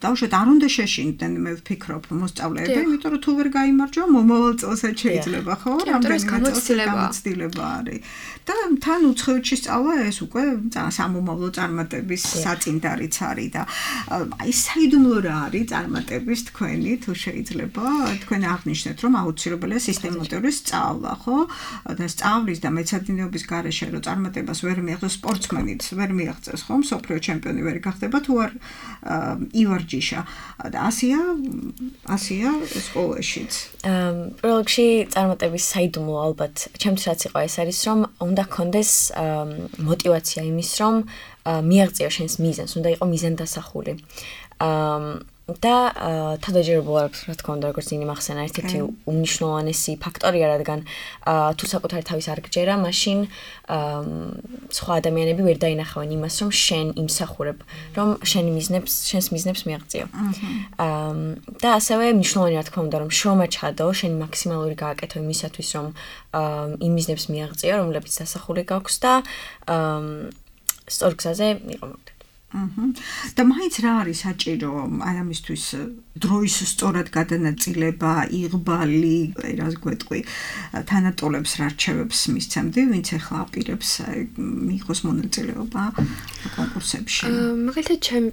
დავუშვათ არ უნდა შეშინდნენ, მე ვფიქრობ მოსწავლეები, იმიტომ რომ თუ ვერ გაიმარჯვა, მომავალ წელსაც შეიძლება, ხო? რამდენი გამოცდილება არის. და თან უცხოეთში სწავლა ეს უკვე სამომავლო წარმატების საწინდარიც არის და აი საიდუმლო რა არის წარმატების თქვენი, თუ შეიძლება თქვენ აღნიშნეთ, რომ აუცილებელია სისტემატური სწავლა, ხო? და სწავლის და მეცადინეობის გარეშე რომ წარმატებას ვერ მიაღწევს სპორტსმენიც, ვერ მიაღწევს, ხო? მსოფლიო ჩემპიონი ვერ გახდება თუ არ ივარჯიშა. და ასია, ასია სკოლაშიც. პირველ რიგში წარმატების საიდუმლო ალბათ ჩემთვის რაც იყო ეს არის რომ უნდა გქონდეს мотиваცია იმის რომ მიაღწიო შენს მიზანს, უნდა იყო მიზანდასახული. და თავდაჯერებულ არის რა თქმა უნდა როგორც ინი მახსენა ერთ-ერთი უმნიშვნელოვანესი ფაქტორია, რადგან თუ საკუთარი თავის არ გჯერა, მაშინ სხვა ადამიანები ვერ დაინახავენ იმას, რომ შენ იმსახურებ, რომ შენი მიზნებს, შენს მიზნებს მიაღწიო. და ასევე მნიშვნელოვანია რა თქმა უნდა, რომ შრომა ჩადო, შენი მაქსიმალური გააკეთო იმისათვის, რომ იმ მიზნებს მიაღწიო, რომლებიც დასახული გაქვს და სწორ გზაზე იყო მოვიდეთ. და მაინც რა არის საჭირო აი ამისთვის დროის სწორად გადანაწილება, იღბალი, რას გვეტყვი, თანატოლებს რა რჩევებს მისცემდი, ვინც ახლა აპირებს მიიღოს მონაწილეობა კონკურსებში. მაგალითად, ჩემი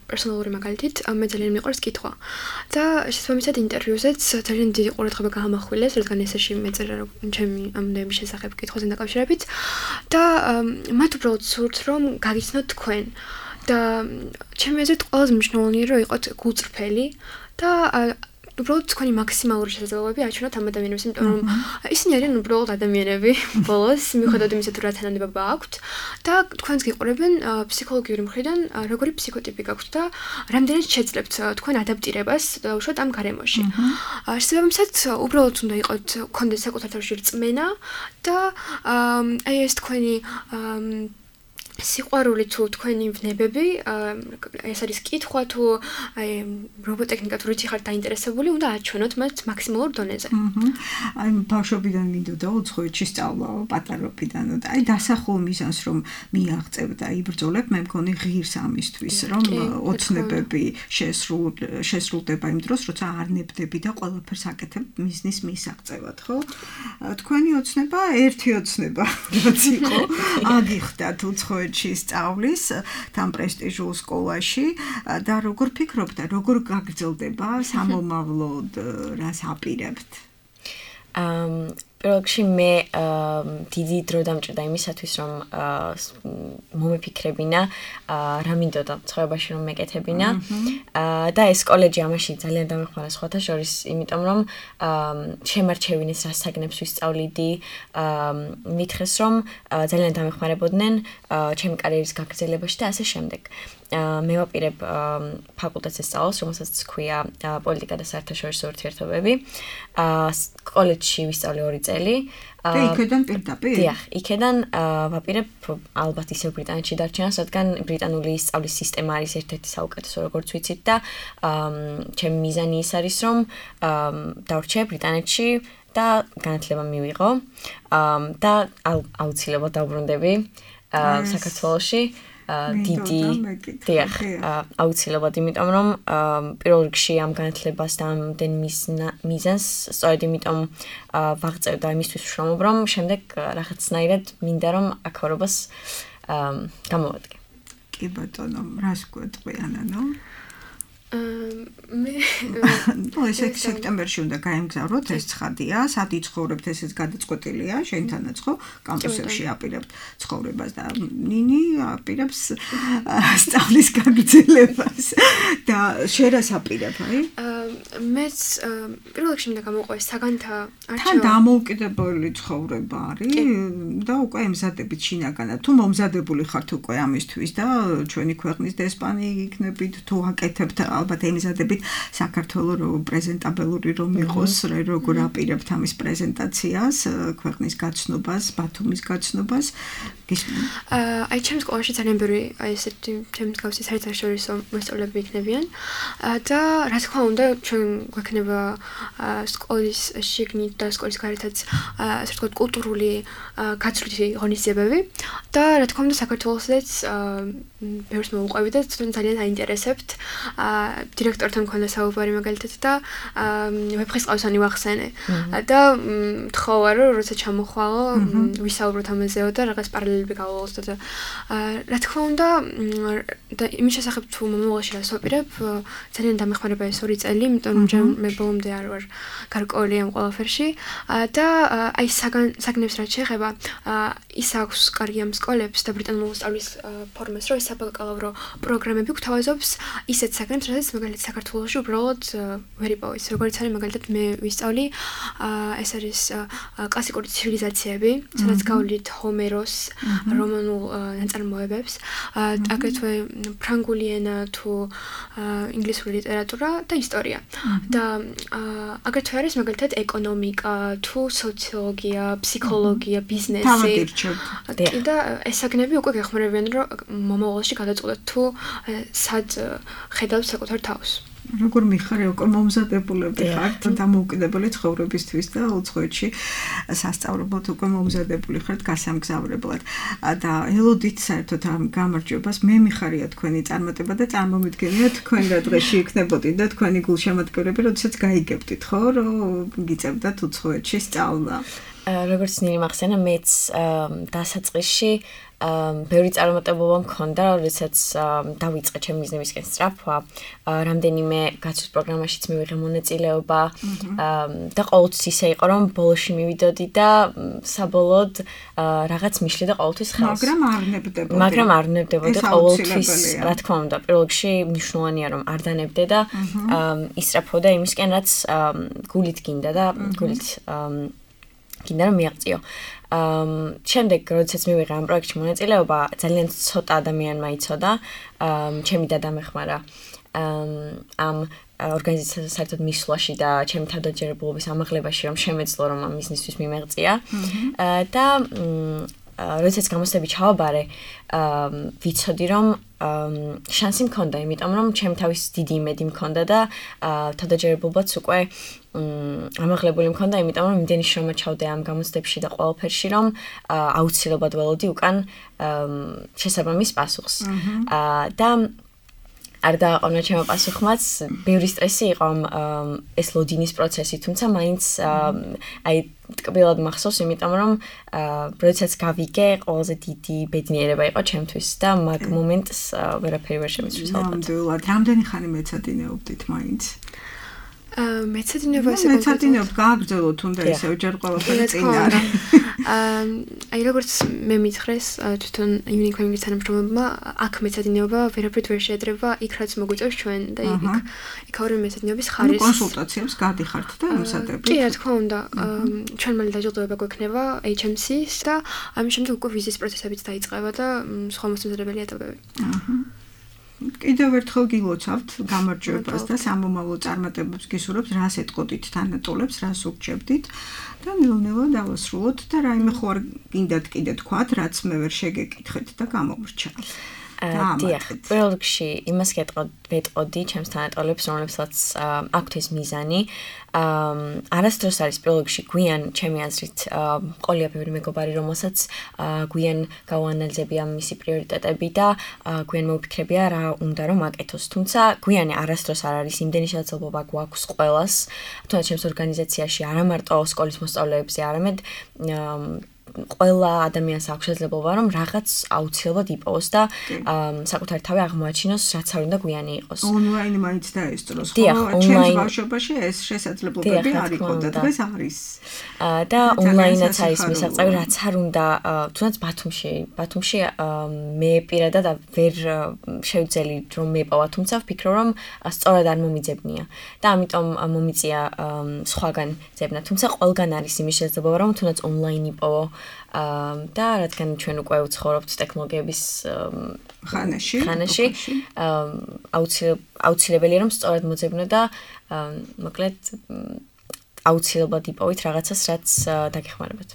პერსონალური მაგალითით, მე ძალიან მიყვარს კითხვა. და შესაბამისად ინტერვიუზეც ძალიან დიდი ყურადღება გაამახვილეს, რადგან ესეში მეწერა ჩემი ამბების შესახებ კითხვაზე დაკავშირებით და მათ უბრალოდ სურთ, რომ გაგიცნოთ თქვენ. და ჩემი აზრით ყველაზე მნიშვნელოვანია რომ იყოთ გულწრფელი და უბრალოდ თქვენი მაქსიმალური შესაძლებლობები აჩვენოთ ამ ადამიანებს, იმიტომ რომ ისინი არიან უბრალოდ ადამიანები ბოლოს, მიუხედავად იმისა თუ რა თანამდებობა აქვთ და თქვენს გიყურებენ ფსიქოლოგიური მხრიდან როგორი ფსიქოტიპი გაქვთ და რამდენად შეძლებთ თქვენ ადაპტირებას უშუალოდ ამ გარემოში. შესაბამისად უბრალოდ უნდა იყოთ გქონდეს საკუთარ თავში რწმენა და აი ეს თქვენი სიყვარული თუ თქვენი ვნებები, ეს არის კითხვა თუ აი რობოტექნიკა თუ რითი ხართ დაინტერესებული, უნდა აჩვენოთ მათ მაქსიმალურ დონეზე. აი ბავშვობიდან მინდოდა უცხოეთში სწავლა, პატარობიდან და აი დასახულ მიზანს რომ მიაღწევ და იბრძოლებ, მე მგონი ღირს ამისთვის, რომ ოცნებები შესრულდება იმ დროს, როცა არ ნებდები და ყველაფერს აკეთებ მიზნის მისაღწევად, ხო? თქვენი ოცნება ერთი ოცნება, რაც იყო, აგიხდათ უცხოეთში სწავლის თან პრესტიჟულ სკოლაში და როგორ ფიქრობთ და როგორ გაგრძელდება სამომავლოდ რას აპირებთ? პირველ რიგში მე დიდი დრო დამჭირდა იმისათვის რომ მომეფიქრებინა რა მინდოდა ცხოვრებაში რომ მეკეთებინა და ეს კოლეჯი ამაში ძალიან დამეხმარა სხვათა შორის, იმიტომ რომ შემარჩევინეს რა საგნებს ვისწავლიდი, მითხრეს რომ ძალიან დამეხმარებოდნენ ჩემი კარიერის გაგრძელებაში და ასე შემდეგ. მე ვაპირებ ფაკულტეტზე სწავლას, რომელსაც ჰქვია პოლიტიკა და საერთაშორისო ურთიერთობები. კოლეჯში ვისწავლე ორი წელი. და იქიდან პირდაპირ? დიახ, იქიდან ვაპირებ ალბათ ისევ ბრიტანეთში დარჩენას, რადგან ბრიტანული სწავლის სისტემა არის ერთ-ერთი საუკეთესო, როგორც ვიცით და ჩემი მიზანი ის არის, რომ დავრჩე ბრიტანეთში და განათლება მივიღო და აუცილებლად დავბრუნდები საქართველოში. დიდი დიახ აუცილებლად იმიტომ რომ პირველ რიგში ამ განათლებას და ამდენ მიზანს სწორედ იმიტომ ვაღწევ და იმისთვის ვშრომობ რომ შემდეგ რაღაცნაირად მინდა რომ აქ გამოვადგე. კი ბატონო, რას გვეტყვი ანანო? მე ნუ ესე სექტემბერში უნდა გაემგზავროთ, ეს ცხადია, სად იცხოვრებთ, ესეც გადაწყვეტილია, შენთანაც ხო, კამპუსებში აპირებთ ცხოვრებას და ნინი აპირებს სწავლის გაგრძელებას და შენ რას აპირებ, აი? მეც პირველ რიგში მინდა გამოვყო ეს საგანთა არჩევა. თან დამოუკიდებელი ცხოვრება არის და უკვე ემზადებით შინაგანად. თუ მომზადებული ხართ უკვე ამისთვის და ჩვენი ქვეყნის დესპანი იქნებით, თუ აკეთებთ ალბათ ემზადებით საქართველოს რო პრეზენტაბელური რომ იყოს, როგორ აპირებთ ამის პრეზენტაციას, ქვეყნის გაცნობას, ბათუმის გაცნობას. აი ჩემს სკოლაში ძალიან ბევრი აი ესეთი ჩემს გავსი საერთაშორისო მოსწავლეები იქნებიან და რა თქმა უნდა ჩვენ გვექნება სკოლის შიგნით და სკოლის გარეთაც ასე ვთქვათ კულტურული გაცვლითი ღონისძიებები და რა თქმა უნდა საქართველოსაც ბევრს მოუყვებით და ძალიან აინტერესებთ დირექტორთან მქონდა საუბარი მაგალითად და ვეფხისტყაოსანი ვახსენე და თხოვა რომ როცა ჩამოხვალო ვისაუბროთ ამაზეო და რაღაც პარალელები გავავალოთ და რა თქმა უნდა და იმის შესახებ თუ მომავალში რას ვაპირებ ძალიან დამეხმარება ეს ორი წელი იმიტომ რომ მე ბოლომდე არ ვარ გარკვეული ამ ყველაფერში და აი საგნებს რაც შეეხება ის აქვს კარგი ამ სკოლებს და ბრიტანულ სწავლის ფორმას რომ ეს საბაკალავრო პროგრამები გვთავაზობს ისეთ საგნებს რაც მაგალითად საქართველოში უბრალოდ ვერ იპოვეს როგორც არის მაგალითად მე ვისწავლი ეს არის კლასიკური ცივილიზაციები სადაც გავლით ჰომეროს რომანულ ნაწარმოებებს აგრეთვე ფრანგული ენა თუ ინგლისური ლიტერატურა და ისტორია და აგრეთვე არის მაგალითად ეკონომიკა თუ სოციოლოგია, ფსიქოლოგია, ბიზნესი და ეს საგნები უკვე გეხმარებიან რომ მომავალში გადაწყვეტოთ თუ სად ხედავთ საკუთარ თავს. როგორ მიხარე უკვე მომზადებულები ხართ დამოუკიდებელი ცხოვრებისთვის და უცხოეთში სასწავლებლად უკვე მომზადებული ხართ გასამგზავრებლად და ელოდით საერთოდ ამ გამარჯვებას მე მიხარია თქვენი წარმატება და წარმომიდგენია თქვენ რა დღეში იქნებოდით და თქვენი გულშემატკივრები როდესაც გაიგებდით ხო რომ გიწევდათ უცხოეთში სწავლა როგორც ნინი მახსენა მეც დასაწყისში ბევრი წარმატებობა მქონდა, როდესაც დავიწყე ჩემი ბიზნესისკენ სწრაფვა, რამდენიმე გაცვლის პროგრამაშიც მივიღე მონაწილეობა და ყოველთვის ისე იყო, რომ ბოლოში მივიდოდი და საბოლოოდ რაღაც მიშლი და ყოველთვის ხელს. მაგრამ არ ნებდებოდი. მაგრამ არ ნებდებოდი ყოველთვის, რა თქმა უნდა, პირველ რიგში მნიშვნელოვანია რომ არ დანებდე და ისწრაფვოდა იმისკენ, რაც გულით გინდა და გულით გინდა რომ მიაღწიო. Um, შემდეგ როდესაც მივიღე ამ პროექტში მონაწილეობა, ძალიან ცოტა ადამიანმა იცოდა, um, ჩემი დედა მეხმარა um, ამ ორგანიზაციას საერთოდ მისვლაში და ჩემი თავდაჯერებულობის ამაღლებაში, რომ შემეძლო რომ ამ ბიზნესთვის მიმეღწია და როდესაც გამოცდები ჩავაბარე, ვიცოდი რომ შანსი მქონდა, იმიტომ რომ ჩემი თავის დიდი იმედი მქონდა და თავდაჯერებულობაც უკვე ამაღლებული მქონდა, იმიტომ რომ იმდენი შრომა ჩავდე ამ გამოცდებში და ყველაფერში, რომ აუცილებლად ველოდი უკან შესაბამის პასუხს. და არ დააყოვნა ჩემო პასუხმაც, ბევრი სტრესი იყო ეს ლოდინის პროცესი, თუმცა მაინც აი ტკბილად მახსოვს, იმიტომ რომ როდესაც გავიგე, ყველაზე დიდი ბედნიერება იყო ჩემთვის და მაგ მომენტს ვერაფერი ვერ შემეცვის ალბათ. ნამდვილად, რამდენი ხანი მეცადინეობდით მაინც? მეცადინეობა ესე მეცადინეობ გააგრძელო თუნდა ისევ ჯერ ყველაფერი წინ არის. აი როგორც მე მითხრეს თვითონ იუნიკოიმის თანამშრომლებმა აქ მეცადინეობა ვერაფრით ვერ შეედრება იქ რაც მოგვიწევს ჩვენ და იქ იქ ორი მეცადინეობის ხარის კონსულტაციებს გადიხართ და ემსადებით. კი რა თქმა უნდა ჩვენ მალე დაჯილდოება გვექნება ეიჩ ემ სის და ამის შემდეგ უკვე ვიზის პროცესებიც დაიწყება და სხვა მოსამზადებელი ეტაპები. აჰა კიდევ ერთხელ გილოცავთ გამარჯვებას და სამომავლო წარმატებებს გისურვებთ, რას ეტყოდით თანატოლებს, რას უგჭებდით და ნელ-ნელა დავასრულოთ და რაიმე ხო არ გინდათ კიდე თქვათ, რაც მე ვერ შეგეკითხეთ და გამოვრჩა. დიახ, პირველ რიგში იმას ვეტყოდი ჩემს თანატოლებს, რომლებსაც აქვთ ეს მიზანი. არასდროს არის პირველ რიგში გვიან ჩემი აზრით ყოლია ბევრი მეგობარი, რომელსაც გვიან გავანალიზებია მისი პრიორიტეტები და გვიან მოვფიქრებია რა უნდა რომ აკეთოს. თუმცა გვიანი არასდროს არ არის იმდენი შესაძლებლობა გვაქვს ყველას, თუნდაც ჩემს ორგანიზაციაში არა მარტო სკოლის მოსწავლეებზე, არამედ ყველა ადამიანს აქვს შესაძლებლობა რომ რაღაც აუცილებლად იპოვოს და საკუთარი თავი აღმოაჩინოს, რაც არ უნდა გვიანი იყოს. ონლაინი მაინც დაესწროს, ხო? ჩემს ბავშვობაში ეს შესაძლებლობები არ იყო და დღეს არის. და ონლაინაც არის მისაღწევი, რაც არ უნდა, თუნდაც ბათუმში, ბათუმში მე პირადად ვერ შევძელი რომ მეპოვა, თუმცა ვფიქრობ რომ სწორად არ მომიძებნია და ამიტომ მომიწია სხვაგან ძებნა. თუმცა ყველგან არის იმის შესაძლებლობა რომ თუნდაც ონლაინ იპოვო და რადგან ჩვენ უკვე ვცხოვრობთ ტექნოლოგიების ხანაში, ხანაში აუცილებელია რომ სწორად მოძებნო და მოკლედ აუცილებლად იპოვით რაღაცას, რაც დაგეხმარებათ.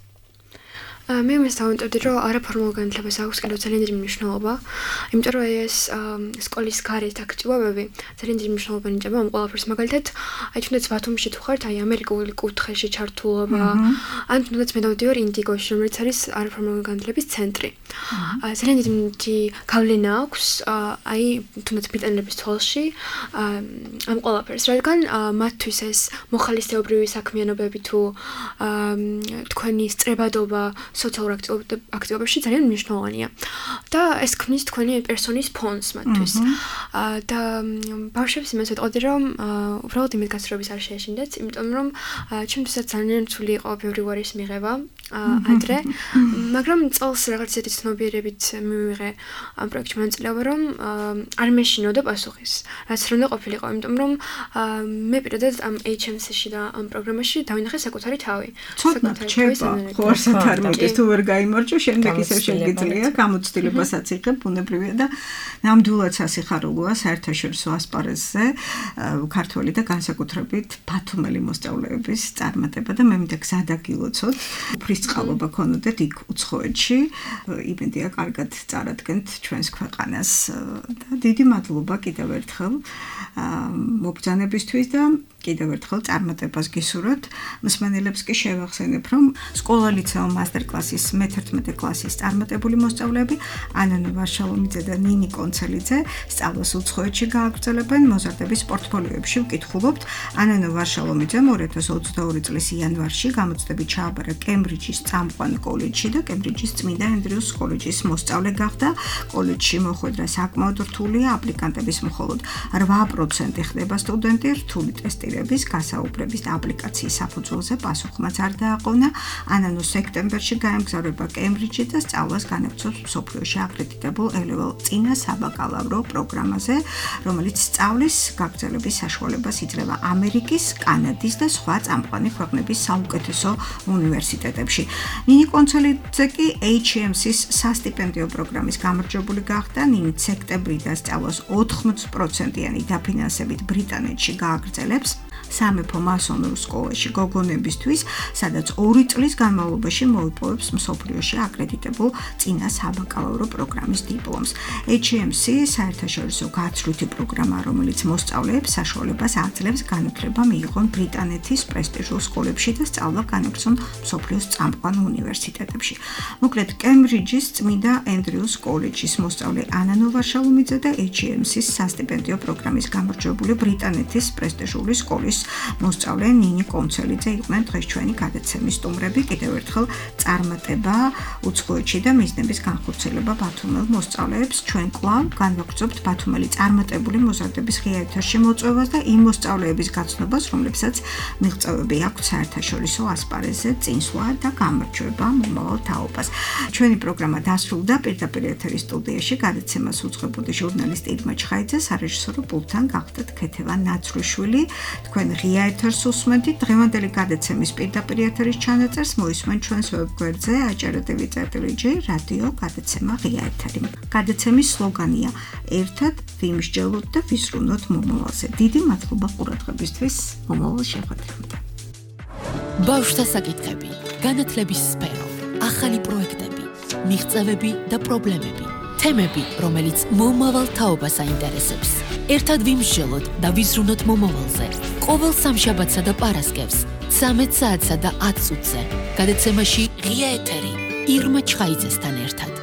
მე მის დავამტებდი, რომ არაფორმალურ განათლებას აქვს კიდევ ძალიან დიდი მნიშვნელობა, იმიტომ რომ ეს სკოლის გარეთ აქტივობები ძალიან დიდი მნიშვნელობა ნიჭება ამ ყველაფერს. მაგალითად, აი თუნდაც ბათუმში თუ ხართ, აი ამერიკული კუთხეში ჩართულობა, ან თუნდაც მე დავდივარ ინდიგოში, რომელიც არის არაფორმალური განათლების ცენტრი. ძალიან დიდი გავლენა აქვს აი თუნდაც ბრიტანელების თვალში ამ ყველაფერს, რადგან მათთვის ეს მოხალისეობრივი საქმიანობები თუ თქვენი სწრებადობა სოციალურ აქტივობებში ძალიან მნიშვნელოვანია და ეს ქმნის თქვენი პერსონის ფონს მათთვის. და ბავშვებს იმას ვეტყოდი, რომ უბრალოდ იმით გასწრების არ შეეშინდეთ, იმიტომ რომ ჩემთვისაც ძალიან რთული იყო ბევრი უარის მიღება ადრე, მაგრამ წელს რაღაც ისეთი ცნობიერებით მივიღე ამ პროექტში მონაწილეობა, რომ არ მეშინოდა პასუხის, რაც არ უნდა ყოფილიყო, იმიტომ რომ მე პირადად ამ ეიჩ ემ სი-ში და ამ პროგრამაში დავინახე საკუთარი თავი. ცოტა რჩება, ხო არსად არ მოდის, თუ ვერ გაიმარჯვე, შემდეგ ისევ შეგიძლია, გამოცდილებასაც იღებ, ბუნებრივია და ნამდვილად სასიხარულოა საერთაშორისო ასპარეზზე ქართველი და განსაკუთრებით ბათუმელი მოსწავლეების წარმატება და მე მინდა გზადაგილოცოთ. უფრის წყალობა ქონოდეთ იქ უცხოეთში, იმედია კარგად წარადგენთ ჩვენს ქვეყანას და დიდი მადლობა კიდევ ერთხელ მობრძანებისთვის და კიდევ ერთხელ წარმატებას გისურვებთ. მსმენელებს კი შევახსენებ, რომ სკოლა ლიცეო მასტერკლასის მეთერთმეტე კლასის წარმატებული მოსწავლეები ანანო ვარშალომიძე და ნინი კონცელიძე სწავლას უცხოეთში გააგრძელებენ მოზარდების პორტფოლიოებში ვკითხულობთ. ანანო ვარშალომიძემ ორი ათას ოცდაორი წლის იანვარში გამოცდები ჩააბარა კემბრიჯის წამყვან კოლეჯში და კემბრიჯის წმინდა ენდრიუს კოლეჯის მოსწავლე გახდა. კოლეჯში მოხვედრა საკმაოდ რთულია, აპლიკანტების მხოლოდ რვა პროცენტი ხდება სტუდენტი, რთული ტესტირების, გასაუბრების და აპლიკაციის საფუძველზე პასუხმაც არ დააყოვნა. ანანო სექტემბერში გაემგზავრება კემბრიჯში და სწავლას განაგრძობს მსოფლიოში აკრედიტებულ ე-ლეվել წინა საბაკალავრო პროგრამაზე, რომელიც სწავლის გაგრძელების საშუალებას იძლევა ამერიკის, კანადის და სხვა წამყვანი ქვეყნების საუკეთესო უნივერსიტეტებში. ნინი კონცელიძე კი ეიჩ ემ სი-ის სასტიპენდიო პროგრამის გამარჯვებული გახდა. ნინი სექტემბრიდან სწავლას ოთხმოცდ პროცენტიანი დაფინანსებით ბრიტანეთში გააგრძელებს. სამეფო მასონურ სკოლაში გოგონებისთვის, სადაც ორი წლის განმავლობაში მოიპოვებს მსოფლიოში აკრედიტებულ წინა საბაკალავრო პროგრამის დიპლომს. ეიჩ ემ სი საერთაშორისო გაცვლითი პროგრამა, რომელიც მოსწავლეებს საშუალებას აძლევს განათლება მიიღონ ბრიტანეთის პრესტიჟულ სკოლებში და სწავლა განაგრძონ მსოფლიოს წამყვან უნივერსიტეტებში. მოკლედ, კემბრიჯის წმინდა ენდრიუს კოლეჯის მოსწავლე ანანო ვარშალომიძე და ეიჩ ემ სი-ის სასტიპენდიო პროგრამის გამარჯვებული ბრიტანეთის პრესტიჟული სკოლის მოსწავლე ნინი კონცელიძე იყვნენ დღეს ჩვენი გადაცემის სტუმრები. კიდევ ერთხელ წარმატება უცხოეთში და მიზნების განხორციელება ბათუმელ მოსწავლეებს. ჩვენ კვლავ განვაგრძობთ ბათუმელი წარმატებული მოზარდების ღია ეთერში მოწვევას და იმ მოსწავლეების გაცნობას, რომლებსაც მიღწევები აქვთ საერთაშორისო ასპარეზზე, წინსვლა და გამარჯვება მომავალ თაობას. ჩვენი პროგრამა დასრულდა. პირდაპირ ეთერის სტუდიაში გადაცემას უძღვებოდი ჟურნალისტი ირმა ჩხაიძე, სარეჟისორო პულტთან გახდათ ქეთევან ნაცრუშვილი. თქვენ ღია ეთერს უსმენთ. დღევანდელი გადაცემის პირდაპირ ეთერის ჩანაწერს მოისმენთ ჩვენს ვებგვერდზე აჭარა.ტვ წერტილი ჯი რადიო გადაცემა ღია ეთერი. გადაცემის სლოგანია ერთად ვიმსჯელოთ და ვიზრუნოთ მომავალზე. დიდი მადლობა ყურადღებისთვის. მომავალ შეხვედრამდე. ბავშვთა საკითხები, განათლების სფერო, ახალი პროექტები, მიღწევები და პრობლემები, თემები, რომელიც მომავალ თაობას აინტერესებს. ერთად ვიმსჯელოთ და ვიზრუნოთ მომავალზე. ყოველ სამშაბათსა და პარასკევს, ცამეტ საათსა და ათ წუთზე. გადაცემაში ღია ეთერი ირმა ჩხაიძესთან ერთად.